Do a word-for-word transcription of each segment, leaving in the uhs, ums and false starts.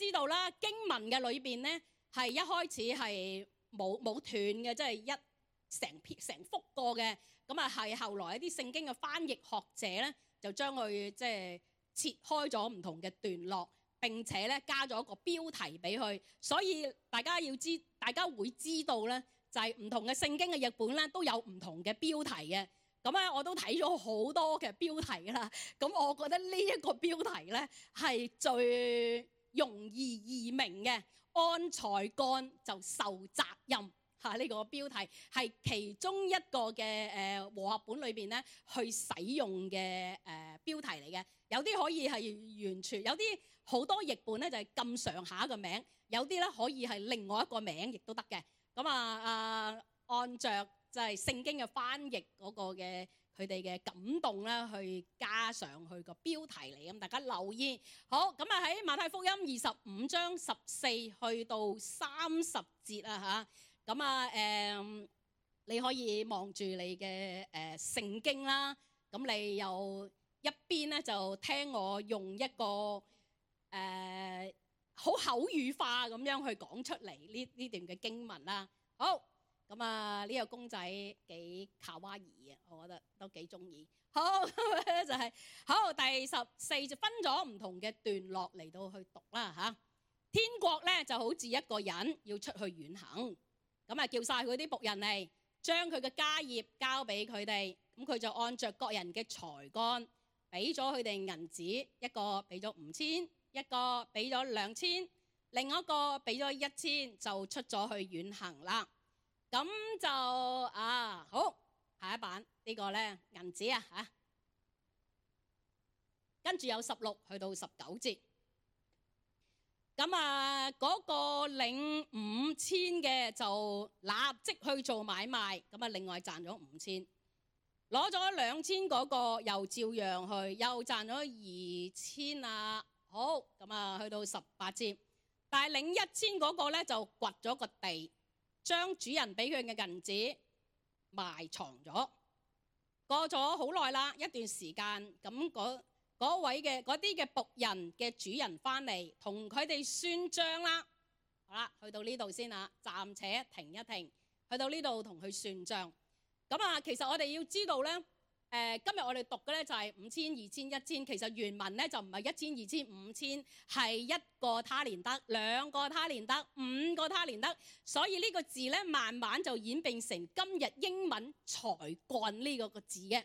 知道啦，經文嘅裏邊咧係一開始係冇冇斷嘅，即係一成篇成幅過嘅。咁啊係後來一啲聖經嘅翻譯學者咧，就將佢即係切開咗唔同嘅段落，並且咧加咗一個標題俾佢。所以大家要知，大家會知道咧，就係唔同嘅聖經嘅譯本咧都有唔同嘅標題嘅。咁咧我都睇咗好多嘅標題啦。咁我覺得呢一個標題咧係最容易易明嘅，按才幹就受責任嚇。呢、這個標題係其中一個嘅誒、呃、和合本裏邊咧去使用嘅誒、呃、標題嚟嘅。有啲可以係完全，有啲好多譯本咧就係咁上下嘅名，有啲咧可以係另外一個名亦都得嘅。咁啊啊，按着就係聖經嘅翻譯嗰個嘅佢哋嘅感動啦，去加上去個標題嚟，咁大家留意。好，咁啊喺馬太福音二十五章十四去到三十節啊嚇，咁啊誒，你可以望住你嘅誒聖經啦，咁你又一邊咧就聽我用一個誒好口語化咁樣去講出嚟呢呢段嘅經文啦。好。咁啊，呢個公仔幾卡哇伊啊，我覺得都幾中意。好，就係好第十四就分咗唔同嘅段落嚟到去讀啦嚇。天國咧就好似一個人要出去遠行，咁啊叫晒佢啲僕人嚟，將佢嘅家業交俾佢哋，咁佢就按着各人嘅才幹，俾咗佢哋銀子，一個俾咗五千，一個俾咗兩千，另一個俾咗一千，就出咗去遠行啦。咁就啊好，下一版呢個咧銀紙啊嚇，跟住有十六去到十九節。咁啊嗰個領五千嘅就立即去做買賣，咁啊另外賺咗五千，攞咗兩千嗰個又照樣去，又賺咗二千啊。好，咁啊去到十八節，但係領一千嗰個咧就掘咗個地，將主人俾佢嘅銀紙埋藏咗。過咗好耐啦，一段時間，咁嗰位嘅嗰啲嘅僕人嘅主人翻嚟，同佢哋算賬啦。好啦，去到呢度先啦，暫且停一停，去到呢度同佢算賬。咁啊，其實我哋要知道咧。誒，今日我哋讀嘅咧就係五千、二千、一千，其實原文咧就唔係一千、二千、五千，係一個他連得、兩個他連得、五個他連得，所以呢個字咧慢慢就演變成今日英文才幹呢個個字嘅。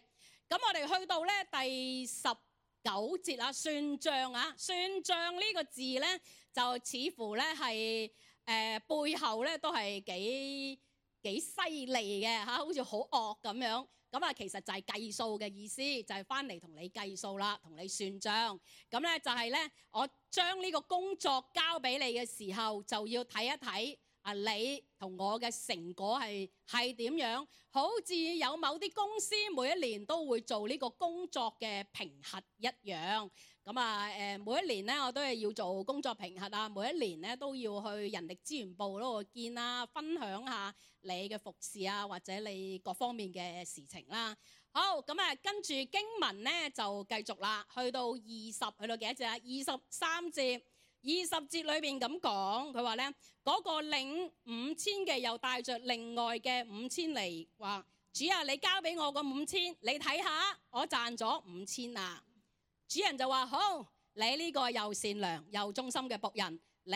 咁我哋去到咧第十九節啦，算賬啊，算賬呢個字咧就似乎咧係誒背後咧都係幾幾犀利嘅嚇，好似好惡咁樣。咁啊，其實就係計數嘅意思，就係翻嚟同你計數啦，同你算賬。咁咧就係咧，我將呢個工作交俾你嘅時候，就要睇一睇啊，你同我嘅成果係係點樣？好似有某啲公司每一年都會做呢個工作嘅評核一樣。咁啊誒，每一年咧我都係要做工作評核啊，每一年咧都要去人力資源部嗰度見啦，分享下你嘅服侍啊，或者你各方面嘅事情啦。好，咁啊跟住經文咧就繼續啦，去到二十，去到幾多節啊？二十三節，二十節裏邊咁講，佢話咧嗰個領五千嘅又帶着另外嘅五千嚟，話主啊，你交俾我個五千，你睇下我賺咗五千啊！主人就話好，你呢個又善良又忠心嘅僕人，你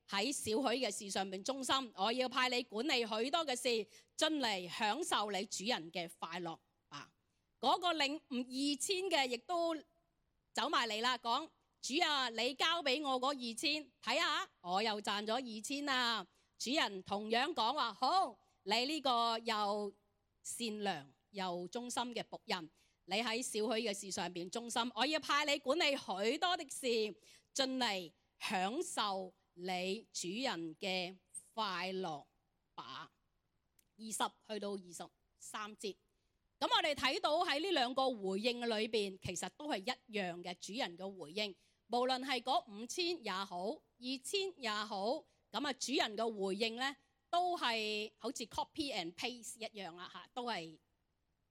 喺少許嘅事上面忠心，我要派你管理許多嘅事，進嚟享受你主人嘅快樂啊！嗰、那個領二千嘅亦都走埋嚟啦，講主啊，你交俾我嗰二千，睇下我又賺咗二千啊！主人同樣講話好，你呢個又善良又忠心嘅僕人，你喺少許嘅事上邊忠心，我要派你管理許多的事，進嚟享受你主人嘅快樂吧。二十去到二十三節，咁我哋睇到喺呢兩個回應嘅裏邊，其實都係一樣嘅主人嘅回應，無論係嗰五千也好，二千也好，咁啊主人嘅回應呢，都係好似 copy and paste 一樣啦嚇，都係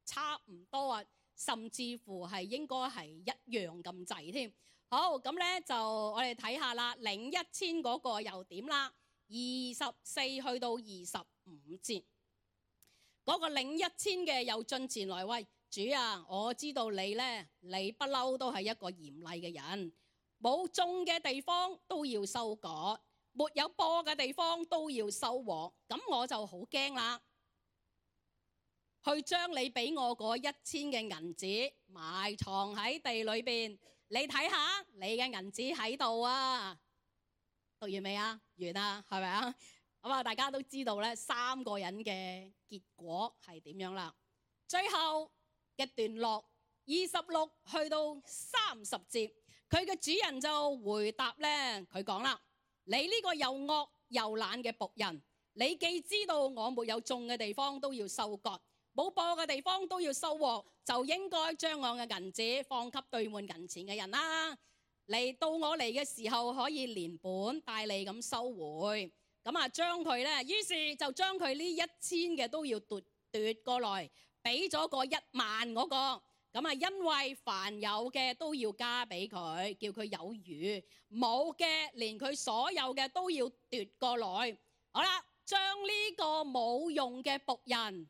差唔多啊。甚至乎係應該係一樣咁滯添。好，咁咧就我哋睇下啦，領一千嗰個又點啦？二十四去到二十五節，嗰個領一千嘅又進前來，喂，主啊，我知道你咧，你不嬲都係一個嚴厲嘅人，冇種嘅地方都要收割，沒有播嘅地方都要收穫，咁我就好驚啦，去將你俾我嗰一千嘅銀子埋藏喺地裏邊。你睇下，你嘅銀紙喺度啊！讀完未啊？完啦，係咪啊？咁啊，大家都知道咧，三個人嘅結果係點樣啦？最後嘅段落二十六去到三十節，佢嘅主人就回答咧，佢講啦：你呢個又惡又懶嘅僕人，你既知道我沒有種嘅地方都要收割，冇播嘅地方都要收穫，就應該將我嘅銀子放給兌換銀錢嘅人啦。嚟到我嚟嘅時候，可以連本帶利咁收回。咁啊，將佢咧，於是就將佢呢一千嘅都要奪奪過來，俾咗個一萬嗰個。咁啊，因為凡有嘅都要加俾佢，叫佢有餘；冇嘅連佢所有嘅都要奪過來。好啦，將呢個冇用嘅僕人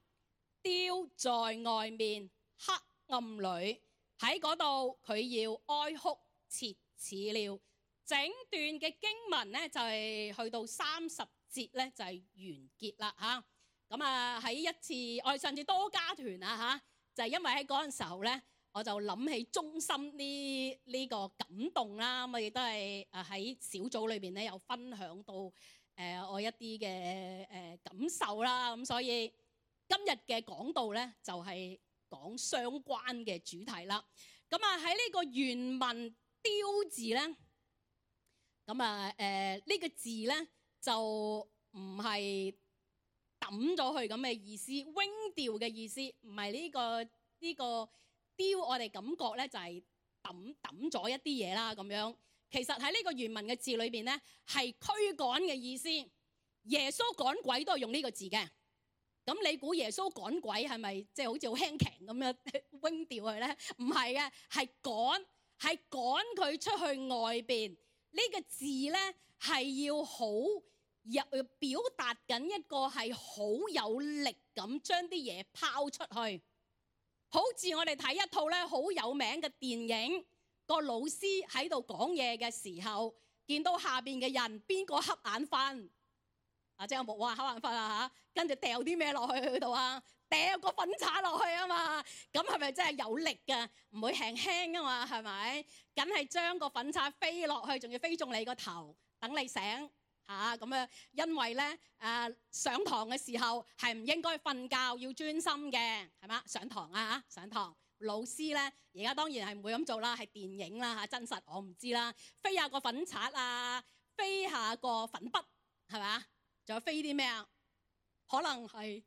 丟在外面黑暗裏，喺嗰度佢要哀哭切齒了。整段嘅經文咧就係、是、去到三十節咧就係、是、完結啦嚇。咁啊喺一次我哋上次多家團啊嚇，就係、是、因為喺嗰陣時候咧，我就諗起中心呢呢個感動啦。咁亦都係誒喺小組裏邊咧有分享到誒、呃、我一啲嘅誒感受啦。咁所以今日嘅講道咧就係講相關嘅主題啦。咁啊喺呢個原文丟字咧，咁啊誒呢個字咧就唔係抌咗佢咁嘅意思，wing 掉嘅意思，唔係呢個呢個丟，我哋感覺咧就係抌抌咗一啲嘢啦咁樣。其實喺呢個原文嘅字裏邊咧係驅趕嘅意思。耶穌趕鬼都係用呢個字嘅。咁你估耶穌趕鬼係咪即係好似好輕騎咁樣扔掉佢咧？唔係嘅，係趕，係趕佢出去外邊。呢個字咧係要好入表達緊一個係好有力咁將啲嘢拋出去。好似我哋睇一套咧好有名嘅電影，個老師喺度講嘢嘅時候，見到下邊嘅人邊個瞌眼瞓。啊！即係我冇話瞌眼瞓啊嚇，跟住掉啲咩落去佢度啊？掉個粉刷落去啊嘛！咁係咪真係有力㗎？唔會輕輕啊嘛？係咪？梗係將個粉刷飛落去，仲要飛中你個頭，等你醒嚇咁啊！因為咧誒、啊、上堂嘅時候係唔應該瞓覺，要專心嘅係嘛？上堂啊嚇，上堂老師咧而家當然係唔會咁做啦，係電影啦嚇，真實我唔知啦。飛下個粉刷啊，飛下個粉筆係嘛？仲有飛啲咩啊？可能係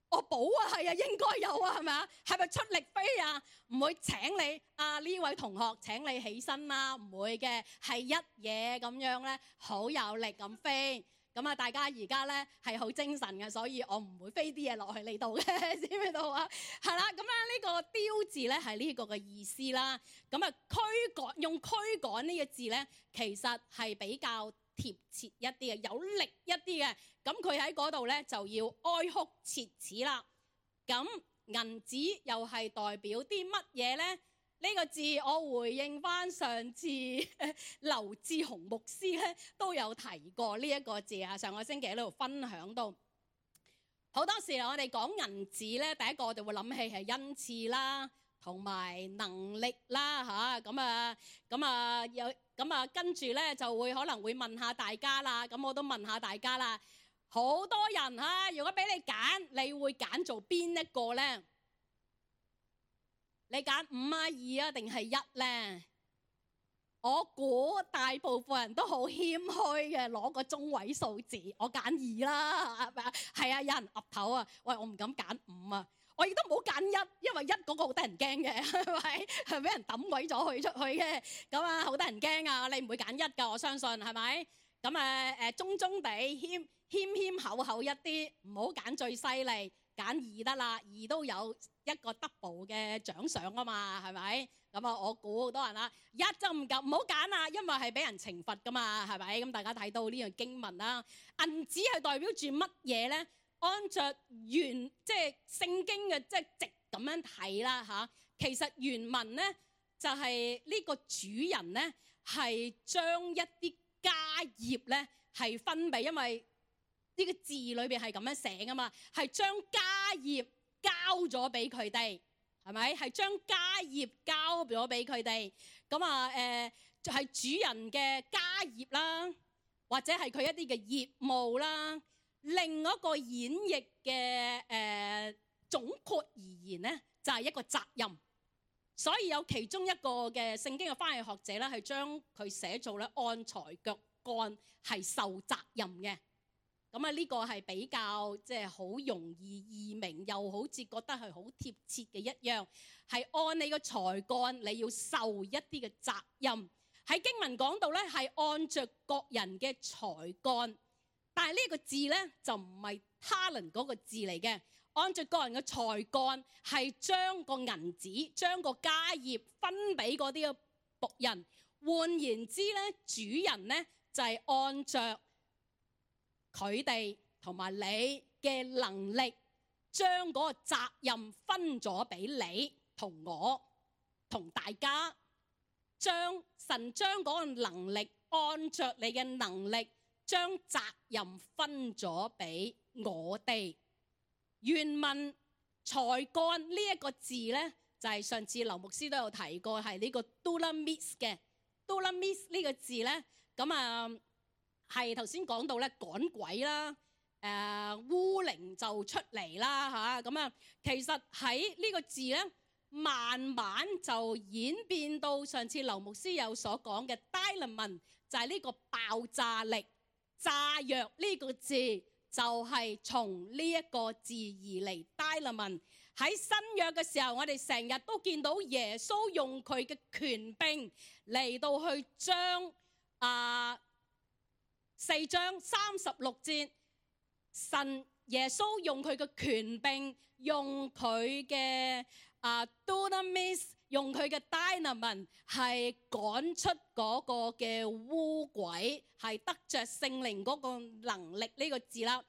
我補啊，係啊，應該有啊，係咪啊？係咪出力飛啊？唔會請你啊呢位同學請你起身啦，唔會嘅，係一嘢咁樣咧，好有力咁飛。咁啊，大家而家咧係好精神嘅，所以我唔會飛啲嘢落去你度嘅，知唔知道啊？係啦，咁啊呢個丟字咧係呢個嘅意思啦。咁啊驅趕，用驅趕呢個字咧，其實係比較貼切一啲嘅，有力一啲嘅，咁佢喺嗰度咧就要哀哭切齒啦。咁銀紙又係代表啲乜嘢咧？呢、這個字我回應翻上次劉志雄牧師咧都有提過呢一個字啊。上個星期喺度分享到，好多時我哋講銀紙咧，第一個我哋會諗起係恩賜啦，同埋能力啦嚇。咁啊咁啊有。咁啊，跟住咧就會可能會問下大家啦。咁我都問下大家啦。好多人嚇，如果俾你揀，你會揀做邊一個咧？你揀五啊二啊定係一咧？我估大部分人都好謙虛嘅，攞個中位數字。我揀二啦，係咪啊？係啊，有人岌頭啊。喂，我唔敢揀五啊。我亦都唔好揀一，因為一嗰個好得人驚嘅，係咪？係俾人抌鬼咗佢出去嘅，咁啊好得人驚啊！你唔會揀一㗎，我相信係咪？咁誒誒中中地謙謙謙厚厚一啲，唔好揀最犀利，揀二得啦，二都有一一個 double 嘅獎賞啊嘛，係咪？咁啊，我估好多人啦，一就唔夠，唔好揀啦，因為係俾人懲罰噶嘛，係咪？咁大家睇到呢樣經文啦，銀子係代表住乜嘢咧？按着原即係聖經嘅即係直咁樣睇啦嚇，其實原文咧就係呢個主人咧係將一啲家業咧係分俾，因為呢個字裏邊係咁樣寫噶嘛，係將家業交咗俾佢哋，係咪？係將家業交咗俾佢哋。咁啊誒，就係主人嘅家業啦，或者係佢一啲嘅業務啦。另一個演繹嘅誒總括而言咧，就係一個責任。所以有其中一個嘅聖經嘅翻譯學者咧，係將佢寫做咧按才腳幹係受責任嘅。咁啊，呢個係比較即係好容易易明，又好似覺得係好貼切嘅一樣，係按你個才幹，你要受一啲嘅責任。喺經文講到咧，係按着各人嘅才幹，但係呢個字咧就唔係 talent 嗰個字嚟嘅。按着個人嘅才幹，係將個銀子、將個家業分俾嗰啲嘅僕人。換言之咧，主人咧就係按着佢哋同埋你嘅能力，將嗰個責任分咗俾你同我同大家。將神將嗰個能力，按着你嘅能力，將責任分咗俾我哋。原文才幹呢一個字咧，就係、是、上次劉牧師都有提過，係呢個 dunamis 嘅 dunamis 呢個字咧，咁啊係頭先講到咧趕鬼啦，誒、呃、污靈就出嚟啦嚇，咁啊其實喺呢個字咧，慢慢就演變到上次劉牧師有所講嘅 dynamite，就係呢個爆炸力、炸藥呢個字。就係從呢一個字而嚟 dynamite。喺新約嘅時候，我哋成日都見到耶穌用佢嘅權柄嚟到去將啊四章三十六節，神耶穌用佢嘅權柄，用佢嘅啊 dunamis，用佢嘅 dynamite 係趕出嗰個嘅污鬼，係得着聖靈嗰個能力呢個字啦。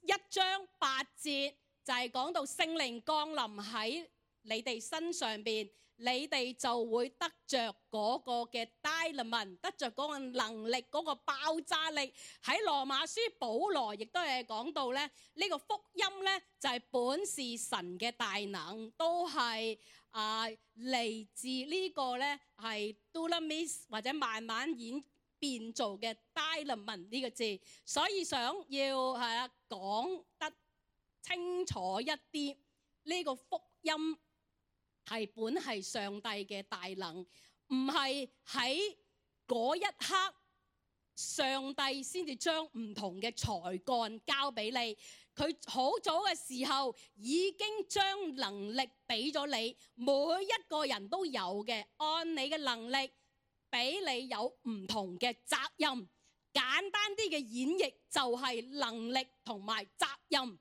一章八節就係講到聖靈降臨喺你哋身上邊，你哋就會得着嗰個嘅 dynamite，得着嗰個能力，嗰個爆炸力。喺羅馬書保羅亦都係講到咧，呢個福音咧就係本是神嘅大能，都係啊嚟自呢個咧係 dunamis 或者慢慢演變做嘅 dynamite 呢個字。所以想要係啊講得清楚一啲，呢個福音係本係上帝嘅大能，唔係喺嗰一刻上帝先至將唔同嘅才幹交俾你。佢好早嘅時候已經將能力俾咗你，每一個人都有嘅，按你嘅能力俾你有唔同嘅責任。簡單啲嘅演繹就係能力同埋責任，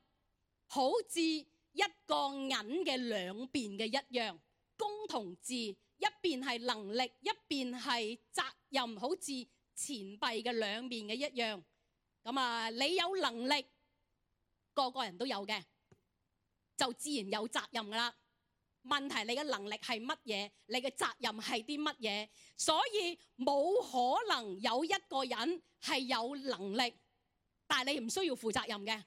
好似一個銀嘅兩邊嘅一樣，公同字，一邊係能力，一邊係責任，好似錢幣嘅兩面嘅一樣。咁啊，你有能力，個個人都有嘅，就自然有責任噶啦。問題你嘅能力係乜嘢？你嘅責任係啲乜嘢？所以冇可能有一個人係有能力，但係你唔需要負責任嘅。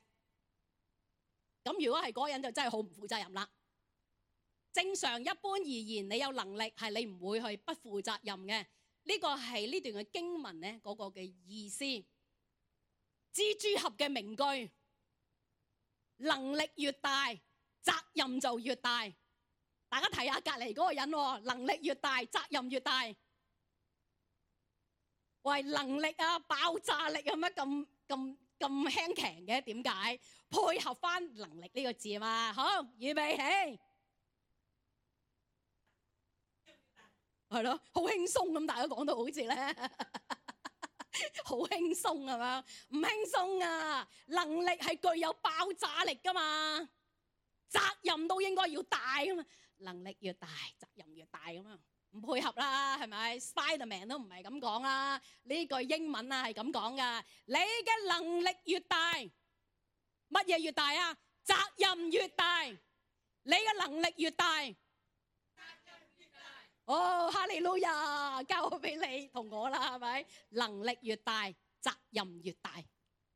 咁如果係嗰個人就真係好唔負責任啦。正常一般而言，你有能力係你唔會去不負責任嘅。呢個係呢段嘅經文咧嗰個嘅意思。蜘蛛俠嘅名句：能力越大，責任就越大。大家睇下隔離嗰個人喎，能力越大，責任越大。喂，能力啊，爆炸力啊，乜咁咁咁輕強嘅？點解？配合翻能力呢個字嘛。好，預備起，係咯，好輕鬆咁，大家講到好似咧，好輕鬆係嘛？唔輕鬆啊！能力係具有爆炸力噶嘛。責任都應該要大噶嘛，能力越大，責任越大咁啊，唔配合啦，係咪 ？Spiderman 都唔係咁講啦，呢句英文啊係咁講噶，你嘅能力越大，乜嘢越大啊？責任越大，你嘅能力越大，責任越大。哦，哈利路亞，交俾你同我啦，係咪？能力越大，責任越大，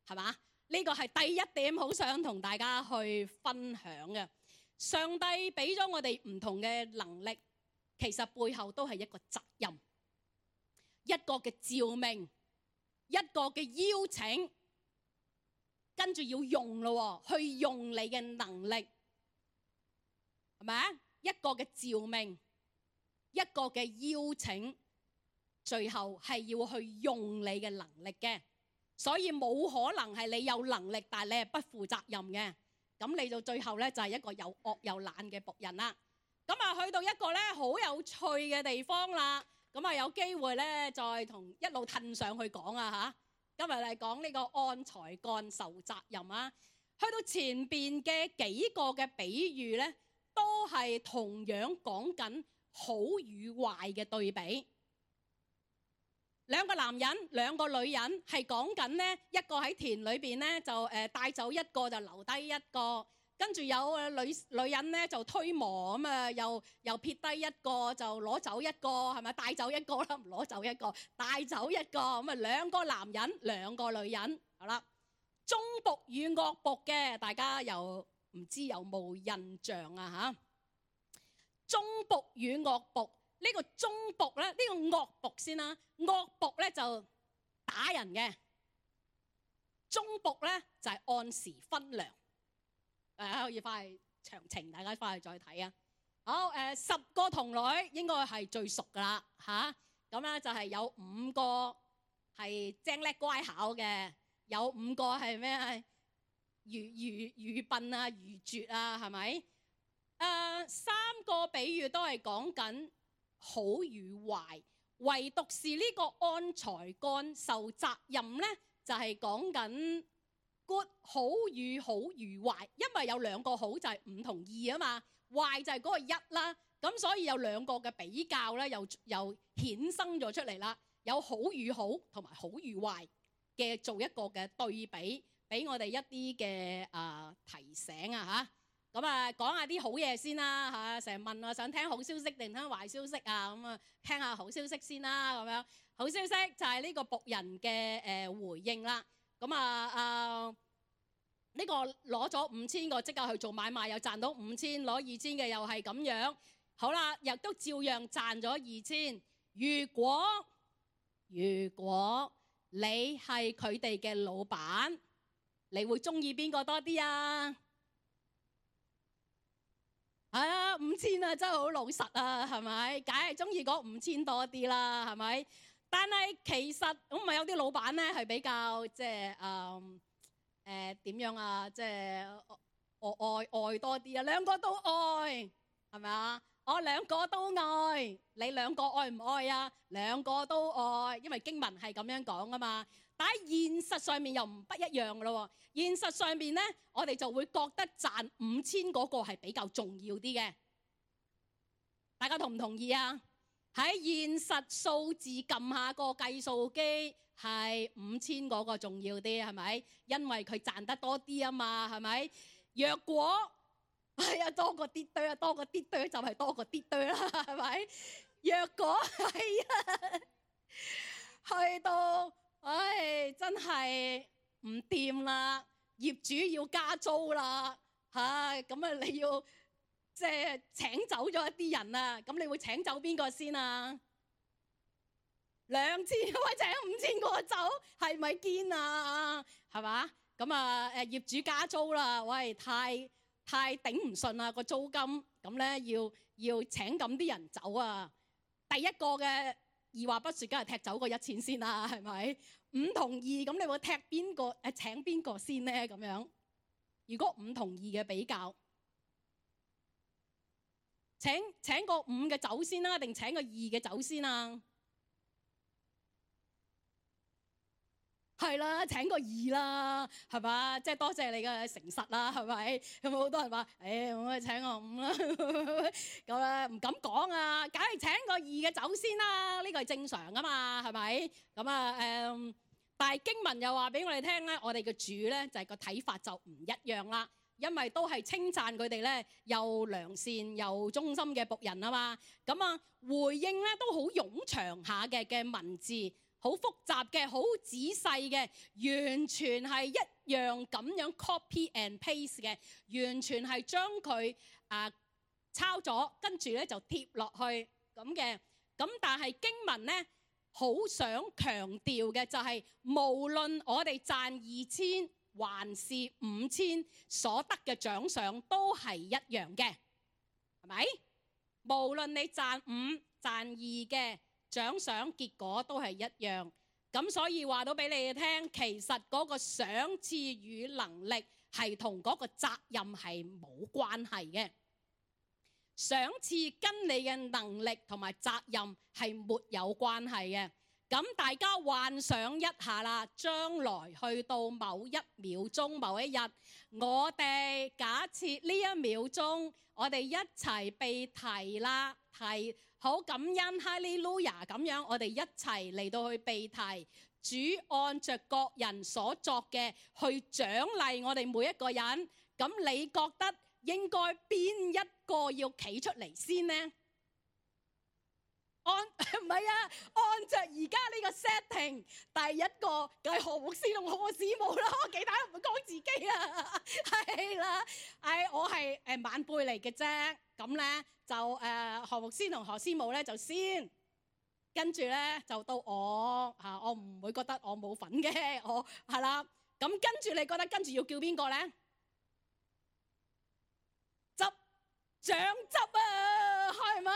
係嘛？呢個係第一點，好想同大家去分享嘅。上帝俾咗我哋唔同嘅能力，其實背後都係一個責任，一個嘅召命，一個嘅邀請，跟住要用咯，去用你嘅能力，係咪啊？一個嘅召命，一個嘅邀請，最後係要去用你嘅能力嘅。所以冇可能係你有能力，但係你係不負責任嘅，咁你就最後咧就係一個又惡又懶嘅僕人啦。咁啊去到一個咧好有趣嘅地方啦，咁啊有機會咧再同一路褪上去講啊嚇。今日嚟講呢個按才幹受責任啊，去到前邊嘅幾個嘅比喻咧，都係同樣講緊好與壞嘅對比。兩個男人，兩個女人，係講緊呢一個喺田裏邊呢就誒帶走一個就留低一個，跟住有女女人呢就推磨咁啊，又又撇低一個就攞走一個，係咪帶走一個啦？唔攞走一個，帶走一個咁啊，兩個男人，兩個女人，好啦。忠僕與惡僕嘅，大家又唔知有冇印象啊？嚇，忠僕與惡僕。呢個忠僕咧，呢個惡僕先啦。惡僕咧就打人嘅，忠僕咧就係按時分糧。誒可以翻去詳情，大家翻去再睇啊。好誒，十個童女應該係最熟噶啦嚇。咁咧就係有五個係精叻乖巧嘅，有五個係咩啊？愚愚愚笨啊，愚拙啊，係咪？誒三個比喻都係講緊好與壞，唯獨是呢個按才幹受責任呢，就係講緊 good 好與好與壞，因為有兩個好就係五同二啊嘛，壞就係嗰個一啦，咁所以有兩個嘅比較呢，又又衍生咗出嚟啦，有好與好同埋好與壞嘅做一個嘅對比，俾我哋一啲嘅啊提醒啊嚇。咁啊，講下啲好嘢先啦嚇，成日問我想聽好消息定聽壞消息啊，咁啊聽下好消息先啦咁樣。好消息就係呢個僕人嘅誒回應啦。咁啊啊呢個攞咗五千個即刻去做買賣，又賺到五千，攞二千嘅又係咁樣。好啦，亦都照樣賺咗二千。如果如果你係佢哋嘅老闆，你會中意邊個多啲啊？係啊，五千啊，真係好老實啊，係咪？梗係中意嗰五千多啲啦，係咪？但係其實咁咪有啲老闆咧係比較即係誒誒點樣啊？即係愛愛愛多啲啊，兩個都愛，係咪啊？我兩個都愛，你兩個愛唔愛啊？兩個都愛，因為經文係咁樣講啊嘛。但喺現實上面又唔不一樣嘅咯喎。現實上面咧，我哋就會覺得賺五千嗰個係比較重要啲嘅。大家同唔同意啊？喺現實數字撳下個計數機係五千嗰個重要啲，係咪？因為佢賺得多啲啊嘛，係咪？若果係啊，多過啲堆啊，多過啲堆就係多過啲堆啦，係咪？若果係啊，去到唉，真係唔掂啦，業主要加租啦，嚇咁啊！你要即係請走咗一啲人啊，咁你會請走邊個先啊？兩千個請五千個走，係咪堅啊？係嘛？咁啊誒業主加租啦，喂，太太頂唔順啦個租金，咁咧要要請咁啲人走啊！第一個嘅二話不說，梗係踢走個一千先啦，係咪？五同二，咁你會踢邊個？誒請邊個先咧？咁樣，如果五同二嘅比較，請請個五嘅走先啦，定請個二嘅走先啊？係啦，請個二啦，係嘛？即係多謝你嘅誠實啦，係咪？有冇好多人話，誒，我請個五啦，咁咧唔敢講啊，梗係請個二嘅走先啦，呢個係正常噶嘛，係咪？咁啊誒，但係經文又話俾我哋聽咧，我哋嘅主咧就係個睇法就唔一樣啦。因為都係稱讚佢哋咧，又良善又忠心嘅僕人啊嘛，咁啊回應咧都好冗長下嘅嘅文字，好複雜嘅，好仔細嘅，完全係一樣咁樣 copy and paste 嘅，完全係將佢啊抄咗，跟住咧就貼落去咁嘅。咁但係經文咧好想強調嘅就係，無論我哋賺二千，還是五千所得嘅獎賞都係一樣嘅，係咪？無論你賺五賺二嘅獎賞結果都係一樣。咁所以話到俾你哋聽，其實嗰個賞賜與能力係同嗰個責任係冇關係嘅。賞賜跟你嘅能力同埋責任係沒有關係嘅。咁大家幻想一下啦，將來去到某一秒鐘、某一日，我哋假設呢一秒鐘，我哋一齊被提啦，提好感恩哈利路亞咁樣，我哋一齊嚟到去被提，主按着各人所作嘅去獎勵我哋每一個人。咁你覺得應該邊一個要企出嚟先呢？按唔係啊，按着而家呢個 setting， 第一個就係何牧師同何師母啦，其他都唔會講自己啊，係啦，係我係誒晚輩嚟嘅啫，咁咧就誒何牧師同何師母咧就先，跟住咧就到我嚇，我唔會覺得我冇份嘅，我係啦，咁跟住你覺得跟住要叫邊個咧？執獎執啊，係咪？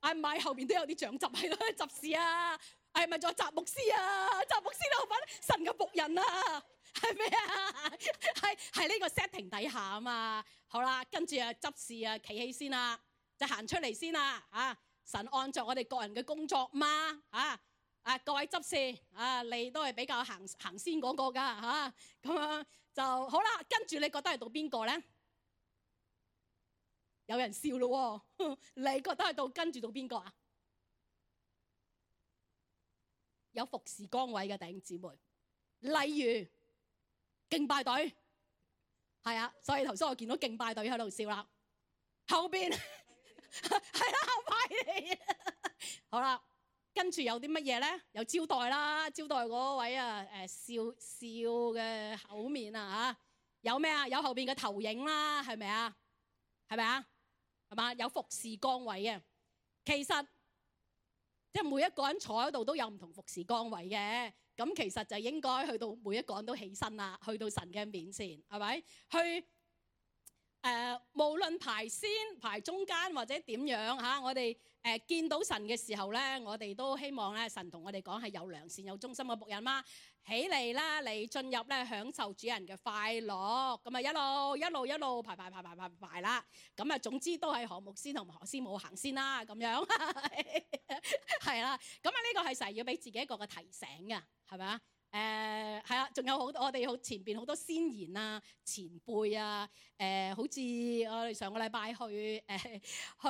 係咪後邊都有啲長執喺度執事啊？係咪仲有雜牧師啊？雜牧師都份神嘅僕人啊？係咩啊？係係呢個 setting 底下啊嘛。好啦，跟住啊執事啊企起先啦，就行出嚟先啦。啊，神按照我哋個人嘅工作嘛。啊啊各位執事啊，你都係比較行行先嗰個㗎嚇。咁樣就好啦。跟住你覺得係到邊個咧？有人笑咯喎，你覺得係到跟住到邊個啊？有服侍崗位嘅弟兄姊妹，例如敬拜隊，係啊，所以頭先我見到敬拜隊喺度笑啦。後邊係啦，後排嚟，好啦，跟住有啲乜嘢咧？有招待啦，招待嗰位啊，誒笑笑嘅口面啊嚇，有咩啊？有後邊嘅投影啦，係咪啊？係咪啊？係嘛？有服侍崗位嘅，其實即係每一個人坐喺度都有唔同服侍崗位嘅。咁其實就應該去到每一個人都起身啦，去到神嘅面前，係咪？去誒、呃，無論排先排中間或者點樣嚇，我哋誒、呃、見到神嘅時候咧，我哋都希望咧，神同我哋講係有良善有忠心嘅僕人嘛。起嚟啦，嚟進入咧，享受主人嘅快樂，咁啊一路一路一路排排排排排排啦，咁啊總之都係何牧師同何師母行先啦，咁樣係啦，咁啊呢個係成日要俾自己一個嘅提醒嘅，係咪啊？誒係啊，仲有好多我哋好前邊好多先賢啊、前輩啊，誒、呃、好似我哋上個禮拜去誒、呃、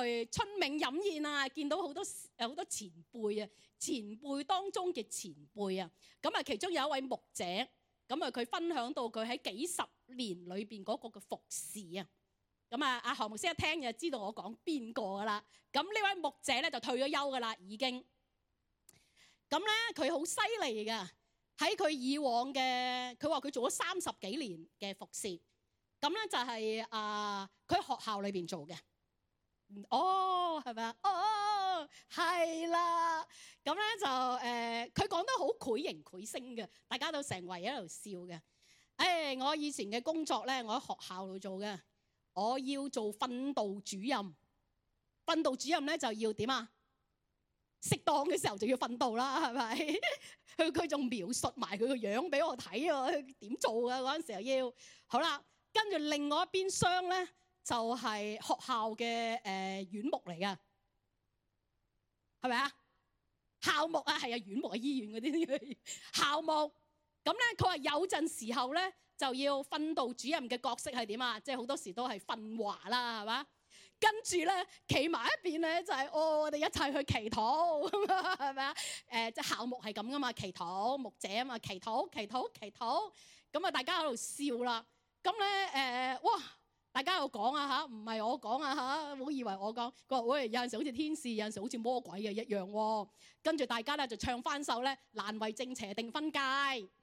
去春茗飲宴啊，見到好多有好多前輩啊。前輩當中嘅前輩啊，咁啊其中有一位牧者，咁啊佢分享到佢喺幾十年裏邊嗰個嘅服侍啊，咁啊阿何牧師一聽就知道我講邊個噶啦，咁呢位牧者咧就退咗休噶啦已經，咁咧佢好犀利噶，喺佢以往嘅，佢話佢做咗三十幾年嘅服侍，咁咧就係啊佢喺學校裏邊做嘅。哦，係咪啊？哦，係啦。咁咧就誒，佢、呃、講得好繪形繪聲嘅，大家都成圍喺度笑嘅。誒、哎，我以前嘅工作咧，我喺學校度做嘅，我要做訓導主任。訓導主任咧就要點啊？適當嘅時候就要訓導啦，係咪？佢佢仲描述埋佢個樣俾我睇喎，點做啊？嗰陣時候要好啦，跟住另外一邊廂咧。就係學校嘅誒院牧嚟噶，係咪啊？校牧啊，係啊，院牧啊，醫院嗰啲校牧。咁咧，佢話有陣時候咧就要訓導主任嘅角色係點啊？即係好多時都係訓話啦，係嘛？跟住咧，企埋一邊咧就係、是、哦，我哋一齊去祈禱，係咪啊？誒、呃，即係校牧係咁噶嘛，祈禱牧者啊嘛，祈禱祈禱祈禱，咁啊大家喺度笑啦。咁咧誒，哇！大家有講啊嚇，唔係我講啊嚇，唔好以為我講。佢話喂，有陣時好似天使，有陣時好似魔鬼嘅一樣喎。跟住大家咧就唱翻首咧，難為正邪定分界，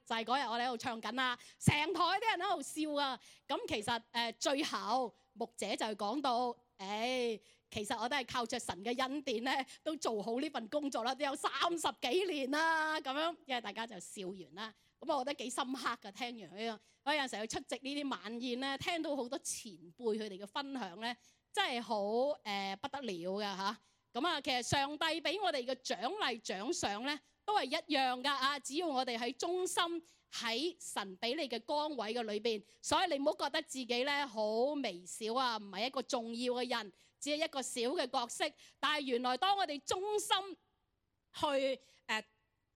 就係嗰日我哋喺度唱緊啦，成台啲人喺度笑啊。咁其實誒、呃、最後牧者就講到，誒、哎、其實我都係靠着神嘅恩典咧，都做好呢份工作啦，都有三十幾年啦咁樣，因為大家就笑完啦。咁我覺得幾深刻㗎，聽完佢啊，我有陣時去出席呢啲晚宴咧，聽到好多前輩佢哋嘅分享咧，真係好誒不得了㗎嚇。咁啊，其實上帝俾我哋嘅獎勵獎賞咧，都係一樣㗎啊！只要我哋喺忠心喺神俾你嘅崗位嘅裏邊，所以你唔好覺得自己咧好微小啊，唔係一個重要嘅人，只係一個小嘅角色。但係原來當我哋忠心去誒，呃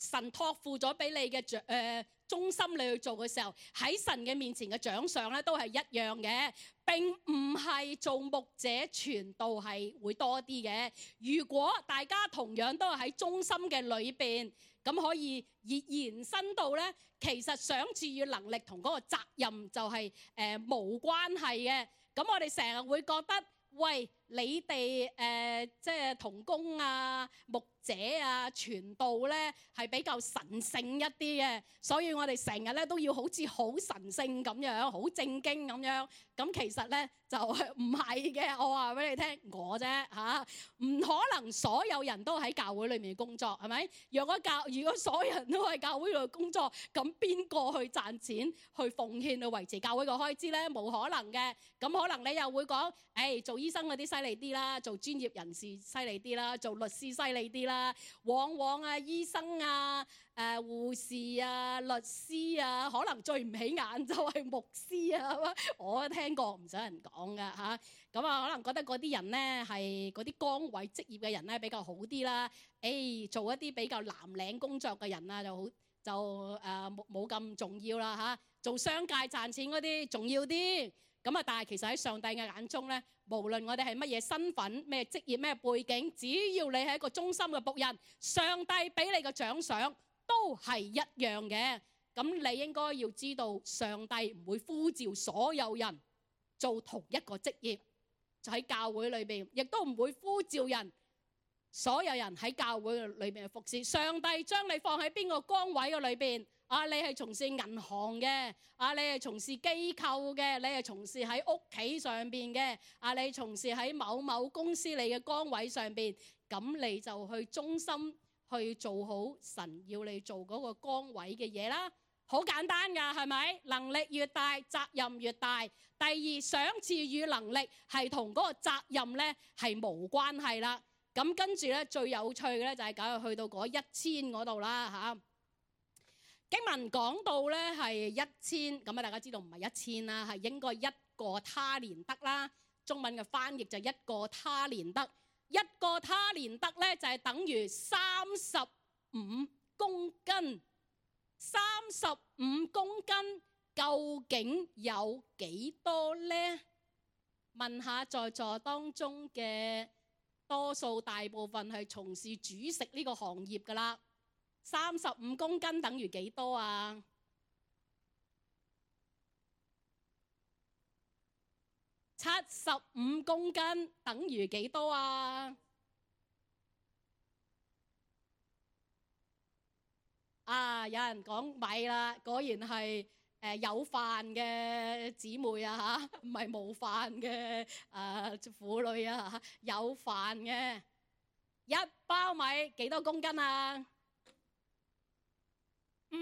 神託付咗俾你嘅獎誒忠心你去做嘅時候，喺神嘅面前嘅獎賞咧都係一樣嘅。並唔係做牧者傳道係會多啲嘅。如果大家同樣都係喺忠心嘅裏邊，咁可以延伸到咧，其實賞賜與能力同嗰個責任就係、是、誒、呃、無關係嘅。咁我哋成日會覺得，喂，你哋誒、呃、即係同工啊、牧者啊、傳道咧係比較神聖一啲嘅，所以我哋成日咧都要好似好神聖咁樣、好正經咁樣。咁其實咧就唔係嘅，我話俾你聽，我啫嚇，唔可能所有人都喺教會裏面工作，係咪？若果教如果所有人都喺教會度工作，咁邊個去賺錢、去奉獻、去維持教會嘅開支咧？冇可能嘅。咁可能你又會講，誒、哎、做醫生嗰啲犀利啲啦，做專業人士犀利啲啦，做律師犀利啲啦。往往啊，醫生啊、誒、呃、護士啊、律師啊，可能最唔起眼就係牧師啊。我都聽過，唔想人講噶嚇。咁啊，可能覺得嗰啲人咧係嗰啲崗位職業嘅人咧比較好啲啦。誒、哎，做一啲比較藍領工作嘅人啊，就好就誒冇冇咁重要啦嚇、啊。做商界賺錢嗰啲重要啲。咁啊，但係其實喺上帝嘅眼中咧，無論我哋係乜嘢身份、咩職業、咩背景，只要你係一個忠心嘅僕人，上帝俾你嘅獎賞都係一樣嘅。咁你應該要知道，上帝唔會呼召所有人做同一個職業，就喺教會裏邊，亦都唔會呼召人所有人喺教會裏邊服侍。上帝將你放喺邊個崗位嘅裏邊？啊！你係從事銀行嘅，啊！你係從事機構嘅，你係從事喺屋企上邊嘅，啊！你從事喺某某公司你嘅崗位上邊，咁你就去忠心去做好神要你做嗰個崗位嘅嘢啦。好簡單㗎，係咪？能力越大，責任越大。第二，賞賜與能力係同嗰個責任咧係無關係啦。咁跟住咧最有趣嘅咧就係搞到去到嗰一千嗰度啦嚇。經文講到咧係一千，咁啊大家知道唔係一千啦，係應該一個他連得啦。中文嘅翻譯就一個他連得，一個他連得咧就係等於三十五公斤。三十五公斤究竟有幾多咧？問下在座當中嘅多數大部分係從事煮食呢個行業㗎啦。三十五公斤等於幾多啊？七十五公斤等於幾多啊？啊！有人講米啦，果然係誒有飯嘅姊妹啊嚇，唔係冇飯嘅誒婦女啊嚇，有飯嘅一包米幾多公斤啊？五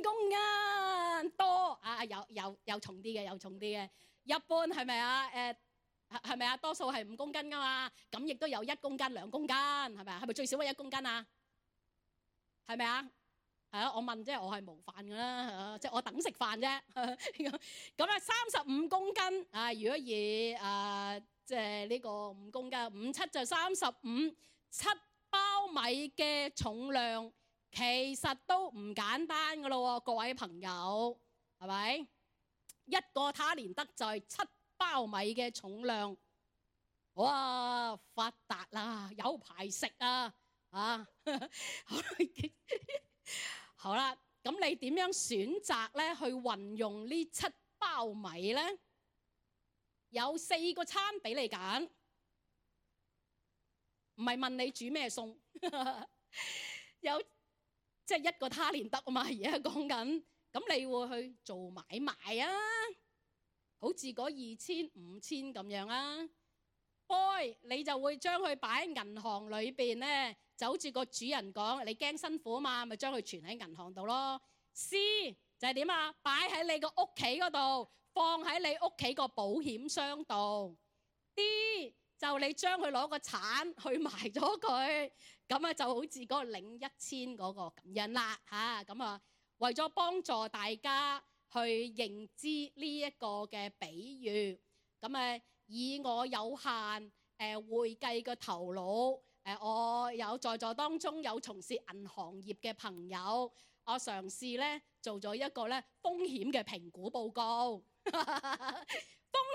公斤多啊！有有有重啲嘅，有重啲嘅。一般係咪啊？誒係咪啊？多數係五公斤噶嘛。咁亦都有一公斤、兩公斤，係咪啊？係咪最少係一公斤啊？係咪啊？係啊！我問即係我係無飯噶啦，即係我等食飯啫。咁啊，三十五公斤啊！如果以誒即係呢個五公斤，五七就三十五，七包米嘅重量其實都唔簡單噶咯，各位朋友，係咪？一個他連得就係七包米嘅重量，哇！發達啦，有排食啊！啊，好啦，咁你點樣選擇咧去運用呢七包米咧？有四個餐俾你揀，唔係問你煮咩餸，有即係一個他連得啊嘛，而家講緊，咁你會去做買賣啊，好似嗰二千五千咁樣啊。boy 你就會將佢擺喺銀行裏邊咧，就好似個主人講，你驚辛苦啊嘛，咪將佢存喺銀行度咯。C 就係點啊？擺喺你個屋企嗰度，放喺你屋企個保險箱度。D 就你將佢攞個鏟去埋咗佢，咁啊就好似嗰個領一千嗰個咁樣啦嚇。咁啊，為咗幫助大家去認知呢一個嘅比喻，咁啊。以我有限誒、呃、會計嘅頭腦，誒、呃、我有在座當中有從事銀行業嘅朋友，我嘗試咧做咗一個咧風險嘅評估報告。風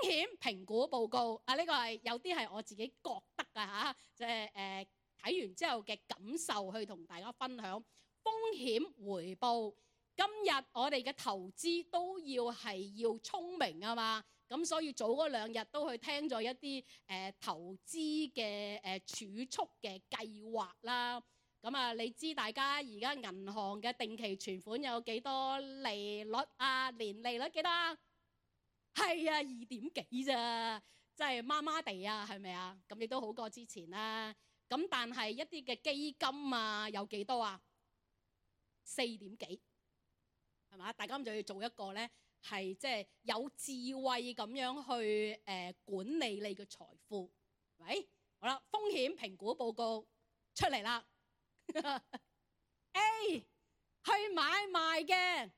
險評估報告啊，呢、這個係有啲係我自己覺得㗎嚇，即係誒睇完之後嘅感受去同大家分享。風險回報，今日我哋嘅投資都要係要聰明啊嘛。咁所以早嗰兩日都去聽咗一啲誒、呃、投資嘅誒、呃、儲蓄嘅計劃啦。咁啊，你知大家而家銀行嘅定期存款有幾多利率啊？年利率幾多？係啊，二點幾咋，真係麻麻地啊，係咪啊？咁你都好過之前啦。咁但係一啲嘅基金啊，有幾多啊？四點幾，係嘛？大家咁就要做一個咧。係即係有智慧咁樣去誒、呃、管理你嘅財富，喂，好啦，風險評估報告出嚟啦。A 去買賣嘅，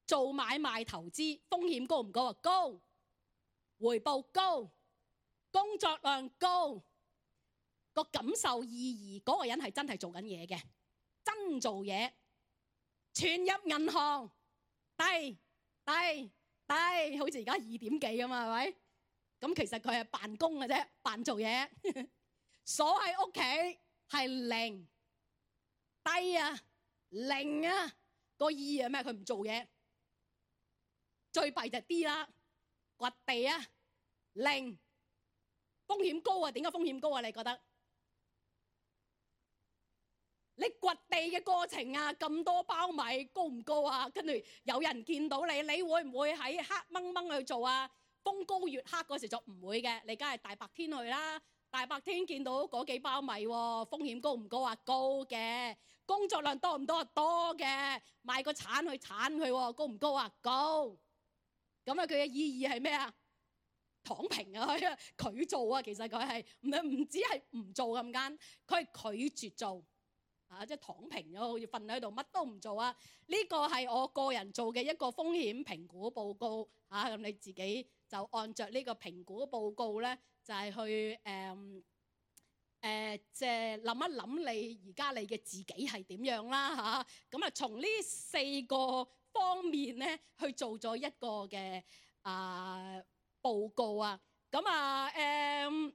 做買賣投資風險高唔高啊？高，回報高，工作量高，個感受意義嗰、嗰個人係真係做緊嘢嘅，真做嘢，存入銀行低。低低，好似而家二點幾咁嘛，係咪？咁其實佢係辦公嘅啫，扮做嘢。鎖喺屋企係零，低啊，零啊，個意義係咩？佢唔做嘢。最弊就係 D 啦，掘地啊，零，風險高啊？點解風險高啊？你覺得？你掘地嘅過程啊，咁多包米高唔高啊？跟住有人見到你，你會唔會喺黑掹掹去做啊？風高月黑嗰時就唔會嘅，你梗係大白天去啦。大白天見到嗰幾包米喎，風險高唔高啊？高嘅。工作量多唔多啊？多嘅。買個鏟去鏟佢喎，高唔高啊？高。咁啊，佢嘅意義係咩啊？躺平啊，佢做啊，其實佢係唔係唔止係唔做咁間，佢係拒絕做。啊！即係躺平咗，好似瞓喺度，乜都唔做啊！呢個係我個人做嘅一個風險評估報告啊！咁你自己就按着呢個評估報告咧，就係去誒誒，即係諗一諗你而家你嘅自己係點樣啦嚇！咁啊，從呢四個方面咧去做咗一個嘅啊報告啊！咁啊誒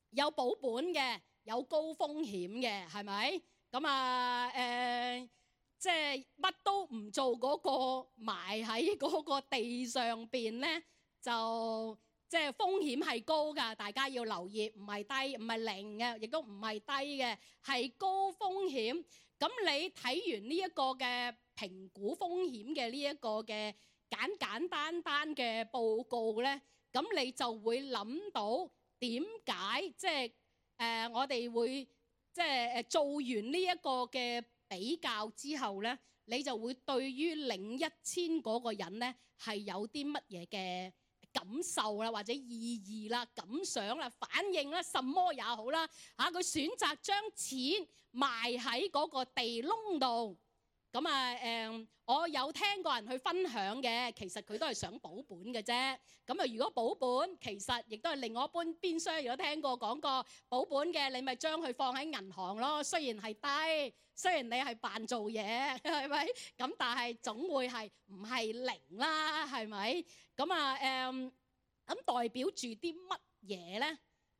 有保本嘅，有高風險嘅，係咪？咁啊，誒、呃，即係乜都唔做嗰個埋喺嗰個地上邊咧，就即係風險係高㗎，大家要留意，唔係低，唔係零嘅，亦都唔係低嘅，係高風險。咁你睇完呢一個嘅評估風險嘅呢一個嘅簡簡單單嘅報告咧，咁你就會諗到點解即係誒、呃、我哋會。即係誒做完呢一個嘅比較之後咧，你就會對於領一千嗰個人咧係有啲乜嘢嘅感受啦，或者意義啦、感想啦、反應啦，什麼也好啦嚇，佢選擇將錢埋喺嗰個地窿度，咁啊誒，我有聽過人去分享嘅，其實佢都係想保本嘅啫。咁啊，如果保本，其實亦都係另外一邊邊廂。如果聽過講過保本嘅，你咪將佢放喺銀行咯。雖然係低，雖然你係扮做嘢，係咪？咁但係總會係唔係零啦，係咪？咁啊誒，咁代表住啲乜嘢咧？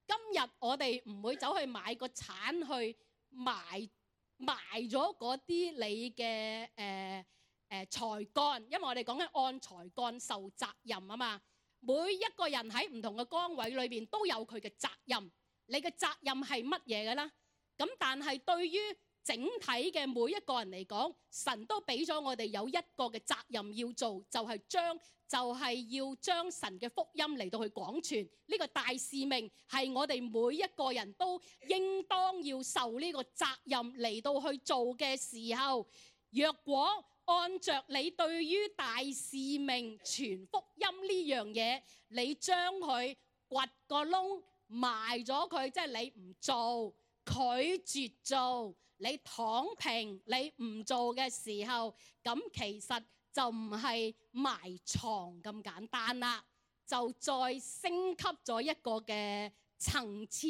今日我哋唔會走去買個鏟去埋埋咗嗰啲你嘅誒誒才幹，因為我哋講緊按才幹受責任啊嘛。每一個人喺唔同嘅崗位裏邊都有佢嘅責任。你嘅責任係乜嘢嘅啦？咁但係對於整體嘅每一個人嚟講，神都俾咗我哋有一個嘅責任要做，就係將就係要將神嘅福音嚟到去廣傳。呢個大使命係我哋每一個人都應當要受呢個責任嚟到去做嘅時候，若果按着你對於大使命傳福音呢樣嘢，你將佢掘個窿埋咗佢，即係你唔做，拒絕做，你躺平，你唔做嘅時候，咁其實就唔係埋藏咁簡單啦，就再升級咗一個嘅層次，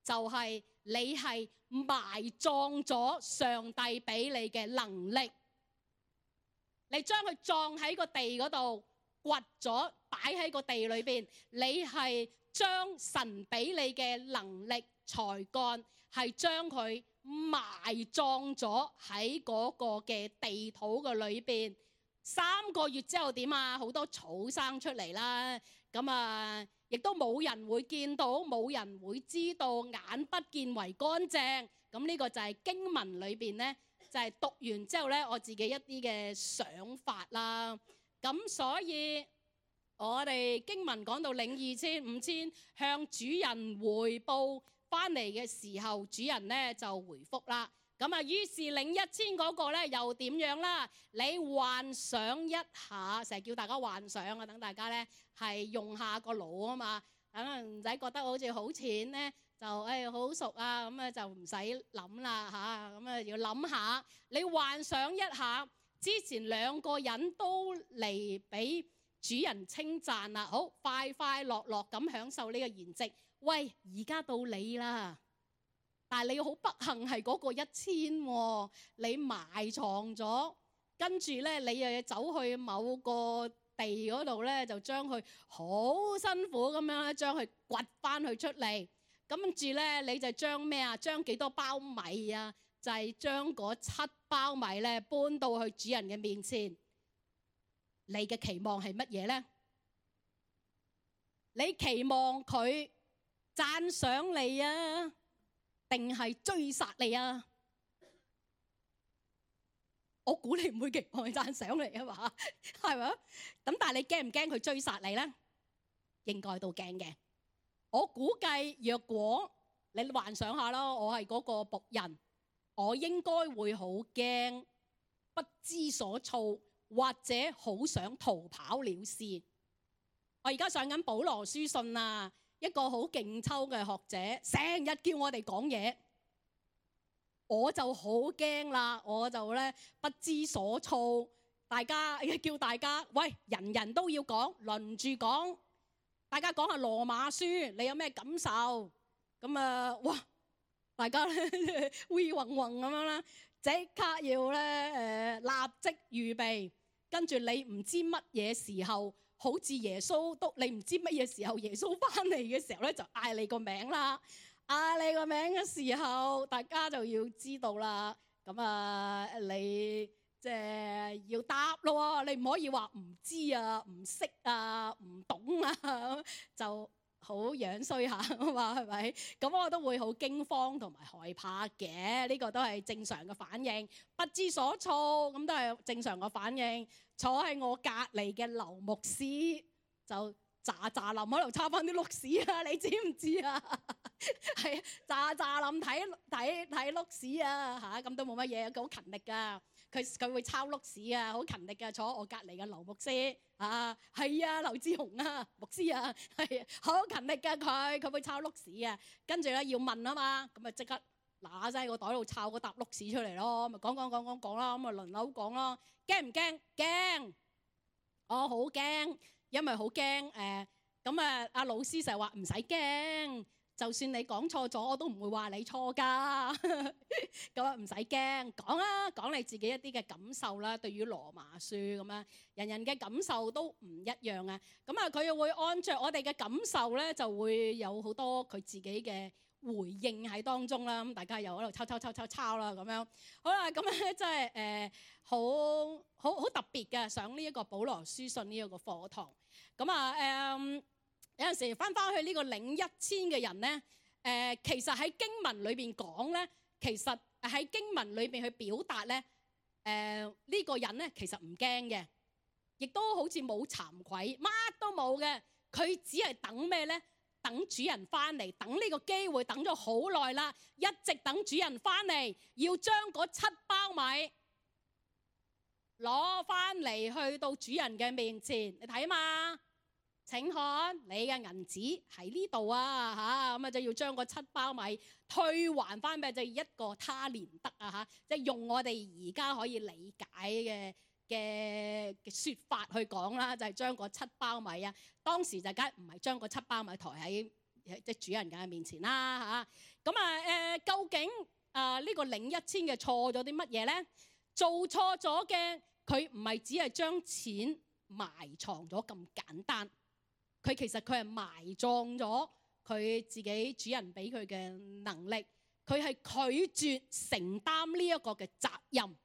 就係你係埋葬咗上帝俾你嘅能力，你將佢葬喺個地嗰度，掘咗擺喺個地裏邊，你係將神俾你嘅能力才幹係將佢埋葬咗喺嗰個嘅地土嘅裏邊。三個月之後點啊？好多草生出嚟啦，咁啊亦都冇人會見到，冇人會知道，眼不見為乾淨。咁呢個就係經文裏邊呢，就係讀完之後呢，我自己一啲嘅想法啦。咁所以我哋經文講到領二千五千向主人回報翻嚟嘅時候，主人呢就回覆啦。咁啊，於是領一千嗰個咧又點樣啦？你幻想一下，成日叫大家幻想啊，等大家咧係用下個腦啊嘛，等唔使覺得好似好淺咧就誒好熟啊，咁啊就唔使諗啦嚇，咁啊要諗下。你幻想一下，之前兩個人都嚟俾主人稱讚啦，好快快樂樂咁享受呢個筵席。喂，而家到你啦！但係你好不幸係嗰個一千喎，你埋藏咗，跟住咧你又要走去某個地嗰度咧，就將佢好辛苦咁樣咧，將佢掘翻佢出嚟。跟住咧你就將咩啊？將幾多包米啊？就係將嗰七包米咧搬到去主人嘅面前。你嘅期望係乜嘢咧？你期望佢讚賞你啊？定係追殺你啊？我估你唔會期望佢讚賞你啊嘛，係咪？咁但係你驚唔驚佢追殺你咧？應該都驚嘅。我估計若果你幻想下咯，我係嗰個僕人，我應該會好驚，不知所措，或者好想逃跑了事。我而家上緊保羅書信啊，一個好勁抽嘅學者，成日叫我哋講嘢，我就好驚啦，我就咧不知所措。大家叫大家，喂，人人都要講，輪住講，大家講下羅馬書，你有咩感受？咁啊，哇，大家咧會暈暈咁樣啦，即刻要咧誒立即預備，跟住你唔知乜嘢時候。好似耶穌都你唔知乜嘢時候耶穌翻嚟嘅時候咧，就嗌你個名啦，嗌你個名嘅時候，大家就要知道啦。咁啊，你即係要答咯，你唔可以話唔知啊、唔識啊、唔懂啊，就好樣衰下啊嘛，係咪？咁我都會好驚慌同埋害怕嘅，呢個都係正常嘅反應，不知所措咁都係正常嘅反應。坐喺我隔離嘅劉牧師就喳喳林喺度抄翻啲碌屎啊！你知唔知啊？係喳喳林睇睇睇碌屎啊嚇，咁都冇乜嘢，佢好勤力噶，佢佢會抄碌屎啊，好勤力噶。坐我隔離嘅劉牧師啊，係啊，劉志雄啊，牧師啊，係好勤力噶佢，佢會抄碌屎啊。跟住咧要問啊嘛，咁啊即刻嗱聲喺個袋度抄個沓碌屎出嚟咯，咪講講講講講啦，咁啊輪流講咯。驚唔驚？驚！我好驚，因為好驚誒。咁啊，阿老師成日話唔使驚，就算你講錯咗，我都唔會話你錯噶。咁啊，唔使驚，講啦，講你自己一啲嘅感受啦。對於羅馬書咁樣，人人嘅感受都唔一樣啊。咁啊，佢又會按著我哋嘅感受咧，就會有好多佢自己嘅回應喺當中啦。咁大家又喺度抄抄抄抄抄啦，咁樣好啦。咁咧真係誒好好好特別嘅，上呢一個保羅書信呢一個課堂。咁啊誒。嗯有陣時翻翻去呢個領一千嘅人咧，誒、呃、其實喺經文裏邊講咧，其實喺經文裏邊去表達咧，誒、呃、呢、這個人咧其實唔驚嘅，亦都好似冇慚愧，乜都冇嘅。佢只係等咩咧？等主人翻嚟，等呢個機會等咗好耐啦，一直等主人翻嚟，要將嗰七包米攞翻嚟去到主人嘅面前，你睇嘛？請看，你嘅銀紙喺呢度啊嚇，咁啊就要將個七包米退還翻俾就一個他連得啊嚇，即係用我哋而家可以理解嘅嘅嘅説法去講啦，就係將個七包米啊，當時就梗係唔係將個七包米抬喺即係主人嘅面前啦嚇。咁啊誒，究竟啊呢個領一千嘅錯咗啲乜嘢咧？做錯咗嘅，佢唔係只係將錢埋藏咗咁簡單。佢其實佢係埋葬咗佢自己主人俾佢嘅能力，佢係拒絕承擔呢一個嘅責任，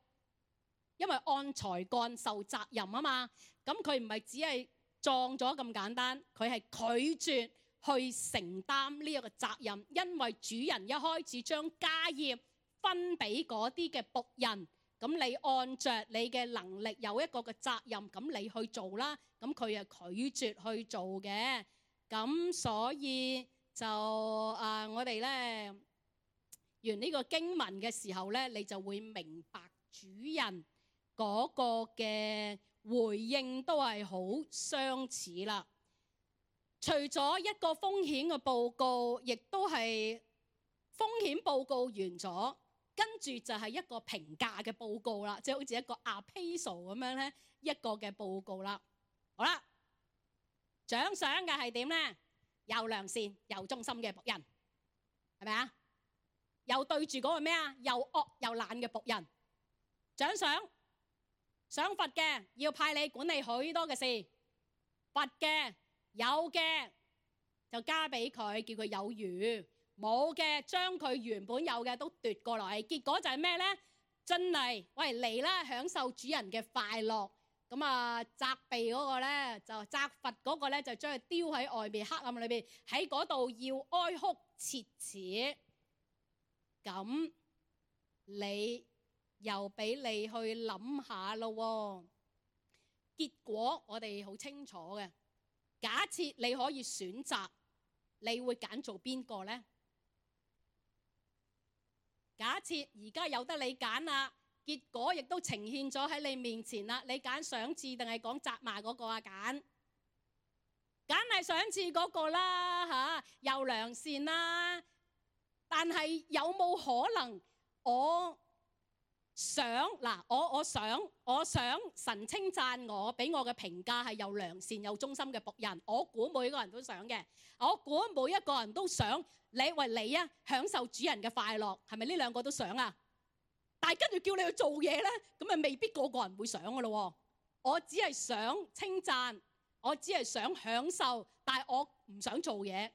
因為按才幹受責任啊嘛。咁佢唔係只係葬咗咁簡單，佢係拒絕去承擔呢一個責任，因為主人一開始將家業分俾嗰啲嘅僕人。咁你按着你嘅能力有一個嘅責任，咁你去做啦。咁佢係拒絕去做嘅。咁所以就啊，我哋咧完呢個經文嘅時候咧，你就會明白主人嗰個嘅回應都係好相似啦。除咗一個風險嘅報告，亦都係風險報告完咗。跟住就係一個評價嘅報告啦，即係好似一個 appraisal 咁樣咧，一個嘅報告啦。好啦，獎賞嘅係點咧？又良善又忠心嘅僕人，係咪啊？又對住嗰個咩啊？又惡又懶嘅僕人。獎賞賞罰嘅要派你管理許多嘅事，罰嘅有嘅就加俾佢，叫佢有餘。冇嘅，將佢原本有嘅都奪過來，結果就係咩呢？真係喂嚟啦，享受主人嘅快樂。咁啊，責備嗰個呢，就責罰嗰個呢，就將佢丟喺外面黑暗裏邊，喺嗰度要哀哭切齒。咁你又俾你去諗下咯。結果我哋好清楚嘅。假設你可以選擇，你會揀做邊個呢？假設而家有得你揀啦，結果亦都呈現咗喺你面前啦，你揀賞賜定係講責罵嗰個啊？揀梗係賞賜嗰個啦嚇，又良善啦。但係有冇可能我想嗱，我我想我想神稱讚我，俾我嘅評價係又良善又忠心嘅僕人。我估每個人都想嘅，我估每一個人都想。你為你啊，享受主人嘅快樂，係咪呢兩個都想啊？但係跟住叫你去做嘢咧，咁咪未必個個人會想噶咯。我只係想稱讚，我只係想享受，但係我唔想做嘢。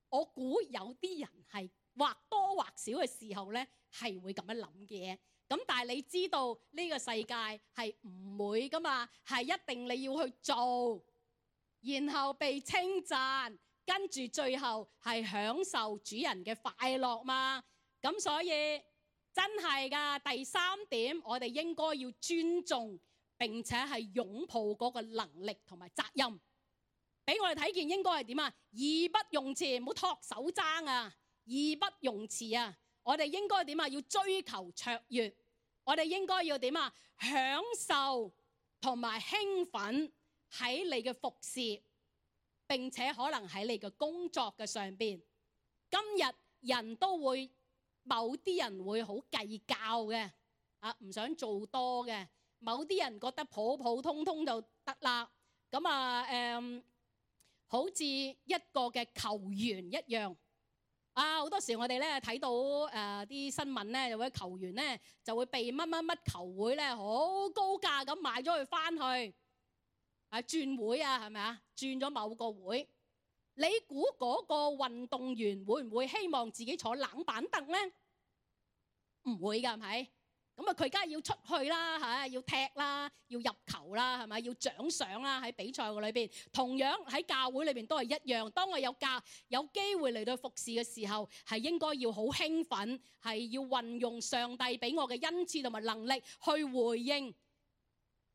我估有啲人係或多或少嘅時候咧，係會咁樣諗嘅。咁但係你知道呢個世界係唔會噶嘛，係一定你要去做，然後被稱讚。跟住最後係享受主人嘅快樂嘛。咁所以真係噶，第三點我哋應該要尊重並且係擁抱嗰個能力同埋責任，俾我哋睇見應該係點啊？義不容辭，唔好托手踭啊！義不容辭啊！我哋應該點啊？要追求卓越，我哋應該要點啊？享受同埋興奮喺你嘅服侍。並且可能喺你嘅工作嘅上邊，今日人都會某啲人會好計較嘅，啊唔想做多嘅。某啲人覺得普普通通就得啦。咁啊誒，好似一個嘅球員一樣。啊好多時我哋咧睇到誒啲、呃、新聞咧，有位球員咧就會被乜乜乜球會咧好高價咁買咗佢翻去，啊轉會啊係咪啊？轉咗某個會。你估嗰個運動員會唔會希望自己坐冷板凳咧？唔會㗎，係咪？咁啊，佢梗係要出去啦，嚇，要踢啦，要入球啦，係咪？要獎賞啦，喺比賽嘅裏邊。同樣喺教會裏邊都係一樣。當我有教有機會嚟到服侍嘅時候，係應該要好興奮，係要運用上帝俾我嘅恩賜同埋能力去回應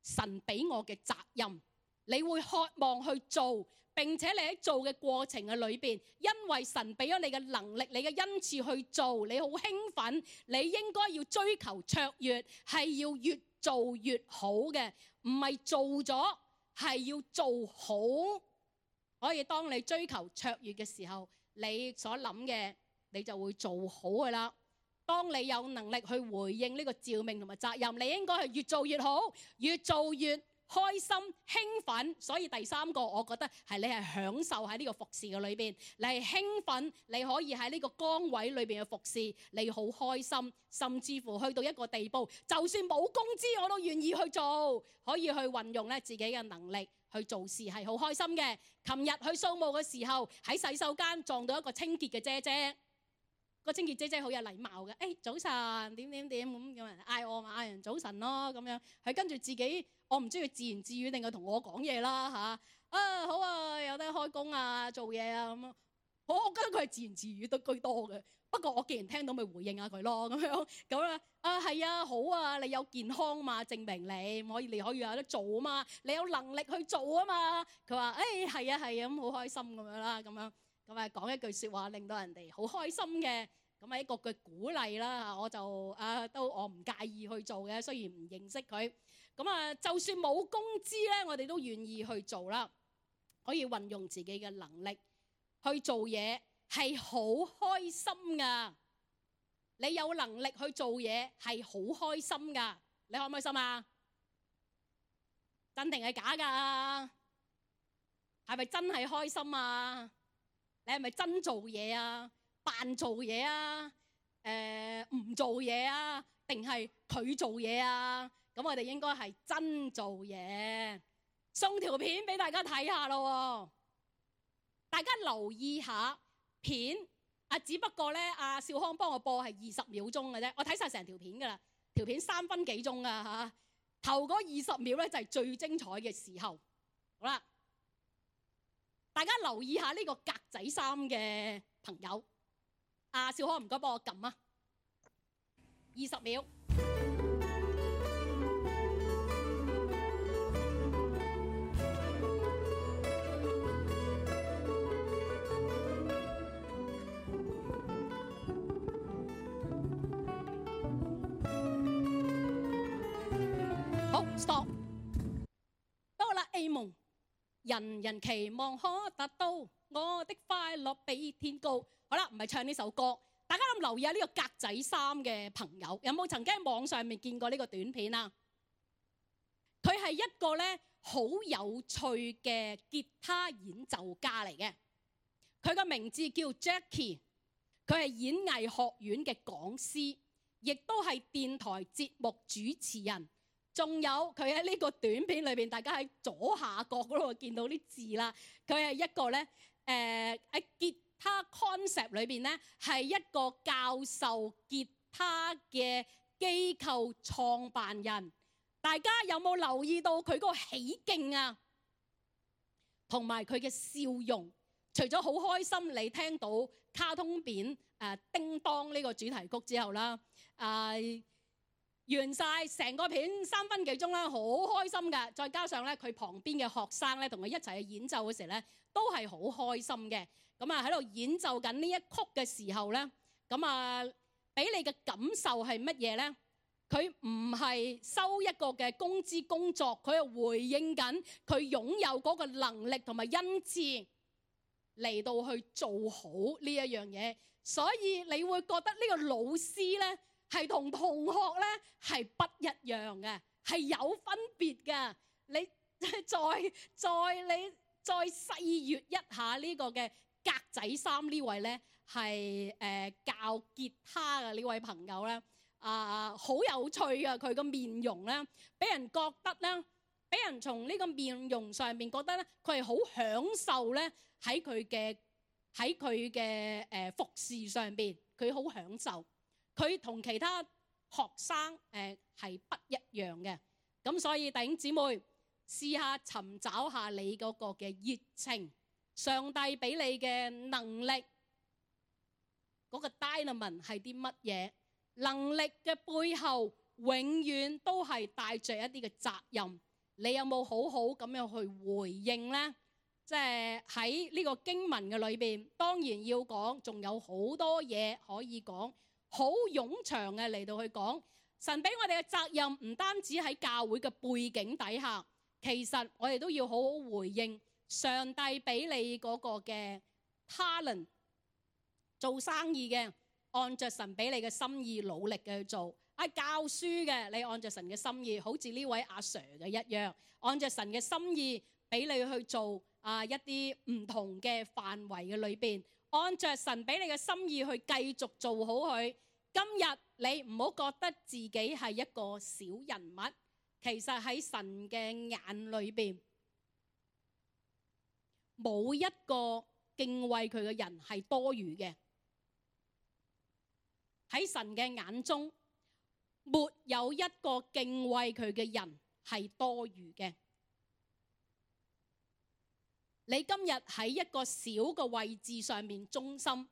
神俾我嘅責任。你會渴望去做。並且你喺做嘅過程嘅裏邊，因為神俾咗你嘅能力，你嘅恩賜去做，你好興奮，你應該要追求卓越，係要越做越好嘅，唔係做咗係要做好。所以當你追求卓越嘅時候，你所諗嘅你就會做好噶啦。當你有能力去回應呢個召命同埋責任，你應該係越做越好，越做越開心興奮。所以第三個我覺得係你係享受喺呢個服侍嘅裏邊，你係興奮，你可以喺呢個崗位裏邊嘅服侍，你好開心，甚至乎去到一個地步，就算冇工資我都願意去做，可以去運用咧自己嘅能力去做事，係好開心嘅。琴日去掃墓嘅時候，喺洗手間撞到一個清潔嘅姐姐，個清潔姐姐好有禮貌嘅，誒、哎、早晨點點點咁，有人嗌我嘛，嗌人早晨咯咁樣，佢跟住自己，我唔知佢自言自語定係同我講嘢啦嚇，啊好啊，有得開工啊，做嘢啊咁樣，我我覺得佢係自言自語都居多嘅。不過我既然聽到咪回應下佢咯咁樣，咁啊啊係啊好啊，你有健康嘛，證明你可以你可以有得做啊嘛，你有能力去做啊嘛。佢話誒係啊係啊咁好開心咁樣啦咁樣。咁啊講一句説話令到人哋好開心嘅，咁係一個嘅鼓勵啦。我就啊都我唔介意去做嘅，雖然唔認識佢。咁啊就算冇工資咧，我哋都願意去做啦。可以運用自己嘅能力去做嘢，係好開心噶。你有能力去做嘢係好開心噶。你開唔開心啊？真定係假噶？係咪真係開心啊？你係咪真做嘢啊？扮做嘢啊？誒、呃、唔做嘢啊？定係佢做嘢啊？咁我哋應該係真做嘢。送條片俾大家睇下咯。大家留意下片啊，只不過咧，阿少康幫我播係二十秒鐘嘅啫。我睇晒成條片噶啦，條片三分幾鐘噶嚇。頭嗰二十秒咧就係最精彩嘅時候。好啦。大家留意下呢個格仔衫嘅朋友，阿少康唔該幫我撳啊！二十秒。好 ，stop。到啦 A 夢。人人期望可達到，我的快樂比天高。好啦，唔係唱呢首歌，大家諗留意下呢個格仔衫嘅朋友，有冇曾經喺網上面見過呢個短片啊？佢係一個咧好有趣嘅吉他演奏家嚟嘅，佢個名字叫 Jackie， 佢係演藝學院嘅講師，亦都係電台節目主持人。仲有佢喺呢個短片裏邊，大家喺左下角嗰度見到啲字啦。佢係一個咧，誒、呃、喺吉他 concept 裏邊咧，係一個教授吉他嘅機構創辦人。大家有冇留意到佢嗰個起勁啊？同埋佢嘅笑容，除咗好開心你聽到卡通片誒、呃、叮當呢個主題曲之後啦，啊、呃、〜完晒成個片三分幾鐘啦，好開心㗎。再加上咧，佢旁邊嘅學生咧，同佢一齊去演奏嘅時候咧，都係好開心嘅。咁啊喺度演奏緊呢一曲嘅時候咧，咁啊俾你嘅感受係乜嘢咧？佢唔係收一個嘅工資工作，佢係回應緊佢擁有嗰個能力同埋恩賜嚟到去做好呢一樣嘢。所以你會覺得呢個老師咧係同同學咧係不一樣嘅，係有分別嘅。你再再你再細閱一下呢個嘅格仔衫呢位咧係誒教吉他嘅呢位朋友咧，啊好有趣啊！佢個面容咧，俾人覺得咧，俾人從呢個面容上面覺得咧，佢係好享受咧喺佢嘅喺佢嘅誒服侍上邊，佢好享受。佢同其他學生誒係不一樣嘅。咁所以弟兄姊妹，試下尋找下你嗰個嘅熱情，上帝俾你嘅能力，嗰個 dynamite 係啲乜嘢？能力嘅背後永遠都係帶着一啲嘅責任。你有冇好好咁樣去回應呢？即係喺呢個經文嘅裏邊，當然要講，仲有好多嘢可以講，好冗長嘅嚟到去講。神俾我哋嘅責任唔單止喺教會嘅背景底下，其實我哋都要好好回應上帝俾你嗰個嘅 talent， 做生意嘅按着神俾你嘅心意努力嘅去做，啊教書嘅你按着神嘅心意，好似呢位阿 Sir 嘅一樣，按着神嘅心意俾你去做啊一啲唔同嘅範圍嘅裏邊，按着神俾你嘅心意去繼續做好佢。今日你唔好覺得自己係一個小人物，其實喺神嘅眼裏邊，冇一個敬畏佢嘅人係多餘嘅。喺神嘅眼中，沒有一個敬畏佢嘅人係多餘嘅。你今日喺一個小嘅位置上面忠心，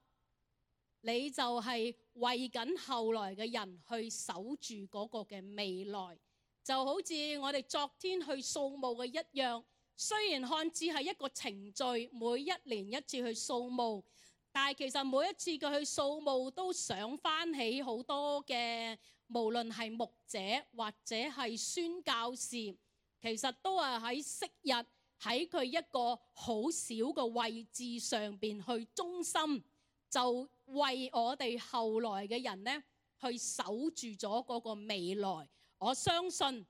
你就係為緊後來嘅人去守住嗰個嘅未來，就好似我哋昨天去掃墓嘅一樣。雖然看似係一個程序，每一年一次去掃墓，但係其實每一次佢去掃墓都想翻起好多嘅，無論係牧者或者係宣教士，其實都係喺昔日喺佢一個好小嘅位置上邊去忠心，就為我哋後來嘅人呢去守住咗嗰個未來。我相信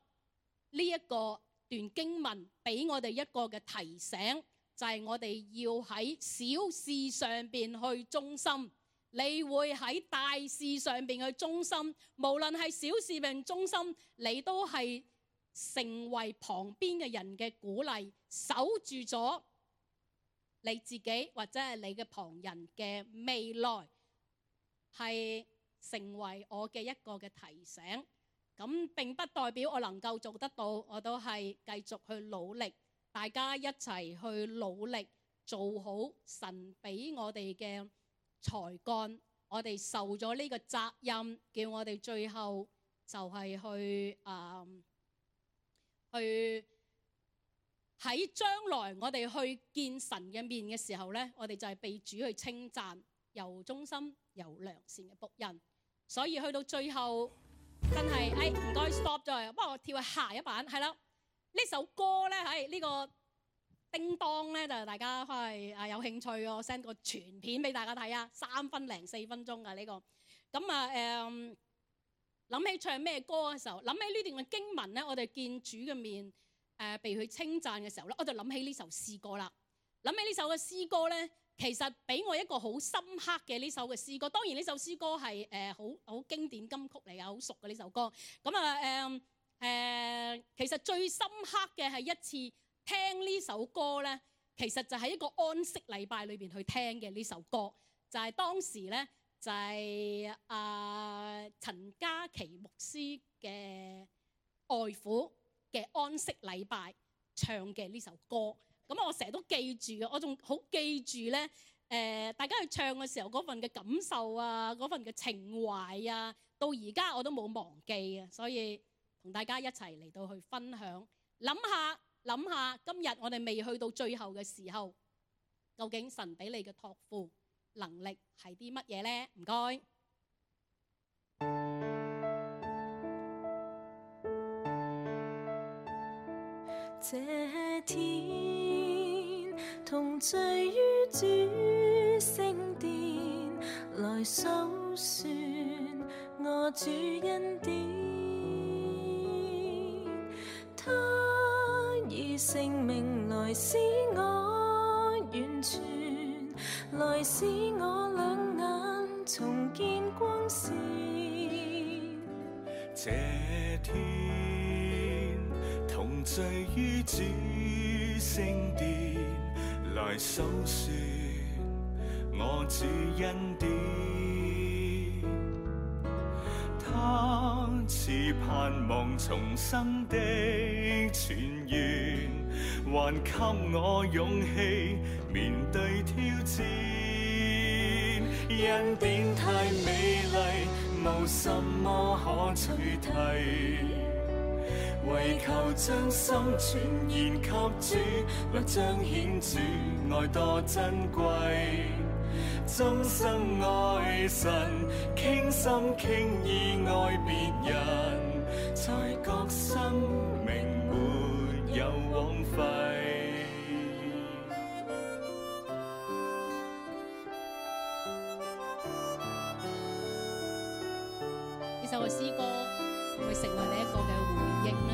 呢一個段經文俾我哋一個嘅提醒，就係我哋要喺小事上邊去忠心，你會喺大事上邊去忠心。無論係小事並忠心，你都係成為旁邊嘅人嘅鼓勵，守住咗你自己或者係你嘅旁人嘅未來，係成為我嘅一個嘅提醒。咁並不代表我能夠做得到，我都係繼續去努力，大家一齊去努力做好神俾我哋嘅才幹。我哋受咗呢個責任，叫我哋最後就係去啊、嗯、去喺將來我哋去見神嘅面嘅時候呢，我哋就係被主去稱讚，又忠心又良善嘅僕人。所以去到最後真係誒唔該 stop 咗，不過我跳去下一版係啦。呢首歌咧喺呢個叮當咧，就大家翻嚟啊有興趣我 send 個全片俾大家睇啊，三分零四分鐘㗎呢個。咁啊誒諗起唱咩歌嘅時候，諗起呢段嘅經文咧，我哋見主嘅面誒、呃、被佢稱讚嘅時候咧，我就諗起呢首詩歌啦。諗起呢首嘅詩歌咧，其實俾我一個好深刻嘅呢首嘅詩歌。當然呢首詩歌係誒好好經典金曲嚟㗎，好熟嘅呢首歌。咁啊誒誒，其實最深刻嘅係一次聽呢首歌咧，其實就係一個安息禮拜裏邊去聽嘅呢首歌，就係、是、當時咧就係、是、啊、呃、陳嘉琪牧師嘅外父嘅安息禮拜唱嘅呢首歌。咁我成日都記住嘅，我仲好記住咧。誒、呃，大家去唱嘅時候嗰份嘅感受啊，嗰份嘅情懷啊，到而家我都冇忘記啊。所以同大家一齊嚟到去分享，諗下諗下，今日我哋未去到最後嘅時候，究竟神俾你嘅託付能力係啲乜嘢咧？唔該。這天同聚於主聖殿，來數算我主恩典，他以性命來使我完全，來使我兩眼重見光線。這天同聚於主聖殿，來數算我主恩典。他賜盼望重生的泉源，還給我勇氣面對挑戰。恩典太美麗，無什麼可取替，為求將心全然給主，來彰顯主愛多珍貴。終生愛神，傾心傾意愛別人，才覺生命沒有枉費。呢首嘅詩歌會成為你一個嘅回應呢？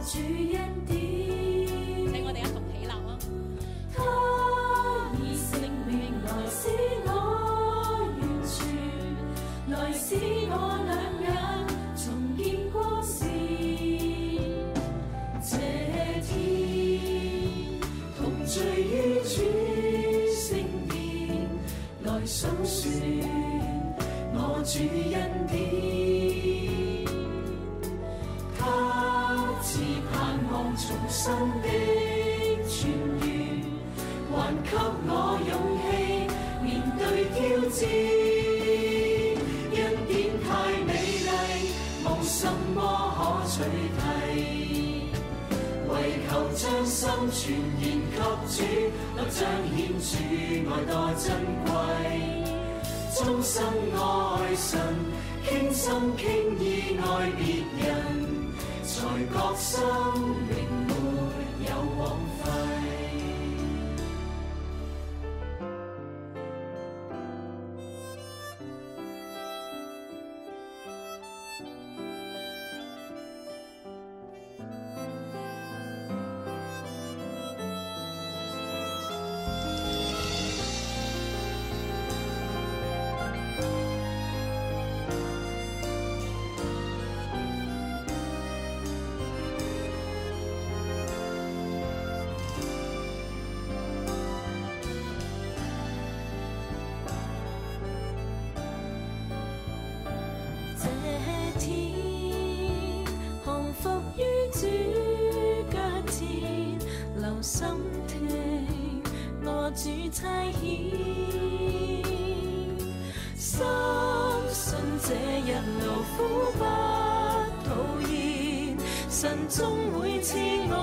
主恩典，請我哋一同起立啊！他以性命來使我完全，來使我兩眼重見光線。這天同聚於主聖殿，來數算我主恩典。重生的泉源，還給我勇氣面對挑戰。恩典太美麗，無什麼可取替，為求將心全然給主，來彰顯主愛多珍貴。終生愛神，傾心傾意愛別人，才覺生命沒有枉費。心聽我主差遣，深信這日勞苦不討厭，神終會賜我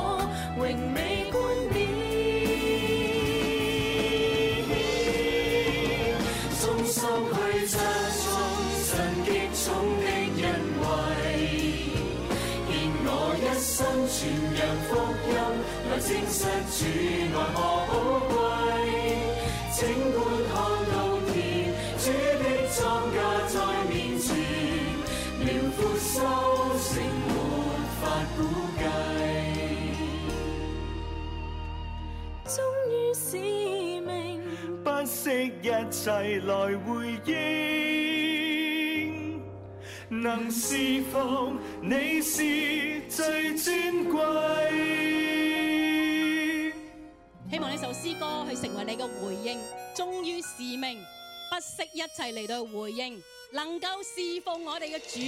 榮美冠冕。終生去唱頌神極重的恩惠，獻我一生傳揚福音，來證實主愛何寶貴。整觀看到田，主的莊稼在面前，遼闊收成沒法估計。忠於使命，不惜一切來回應，能侍奉你是最尊貴。希望呢首詩歌去成為你嘅回應，忠於使命，不惜一切嚟到回應，能夠侍奉我哋嘅主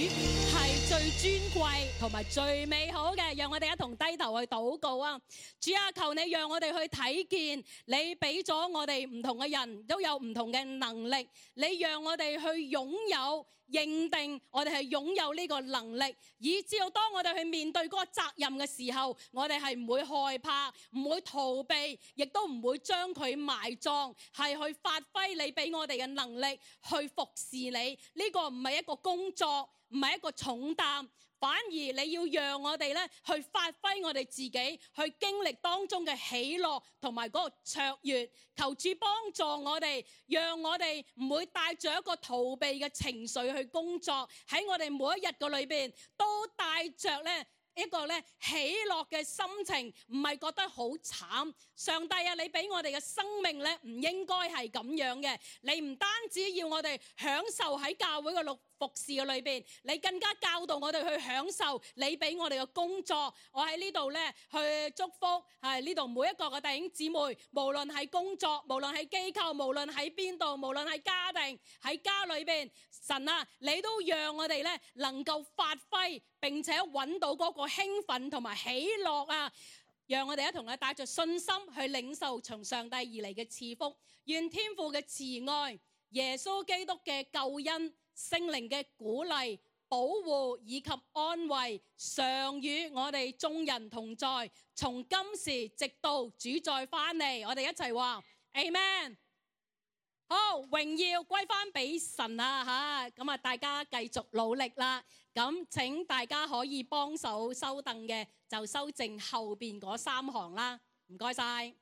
係係最尊貴同埋最美好嘅，讓我哋一同低頭去禱告啊！主啊，求你讓我哋去睇見，你俾咗我哋唔同嘅人都有唔同嘅能力，你讓我哋去擁有。認定我哋係擁有呢個能力，以至到當我哋去面對嗰個責任嘅時候，我哋係唔會害怕，唔會逃避，亦都唔會將佢埋葬，係去發揮你俾我哋嘅能力去服侍你。呢個唔係一個工作，唔係一個重擔。反而你要讓我哋咧去發揮我哋自己，去經歷當中嘅喜樂同埋嗰個卓越。求主幫助我哋，讓我哋唔會帶住一個逃避嘅情緒去工作，喺我哋每一日嘅裏邊都帶着咧一個咧喜樂嘅心情，唔係覺得好慘。上帝啊，你俾我哋嘅生命咧唔應該係咁樣嘅。你唔單止要我哋享受喺教會嘅六服侍嘅裏邊，你更加教導我哋去享受你俾我哋嘅工作。我喺呢度咧去祝福係呢度每一個嘅弟兄姊妹，無論喺工作，無論喺機構，無論喺邊度，無論喺家庭，喺家裏邊，神啊，你都讓我哋咧能夠發揮，並且揾到嗰個興奮同埋喜樂啊！讓我哋一同咧帶着信心去領受從上帝而嚟嘅賜福。願天父嘅慈愛、耶穌基督嘅救恩、聖靈嘅鼓勵、保護以及安慰，常與我哋眾人同在，從今時直到主再翻嚟。我哋一齊話 Amen。好，榮耀歸翻俾神啊吓，咁啊大家繼續努力啦。咁請大家可以幫手收凳嘅，就修正後邊嗰三行啦。唔該晒。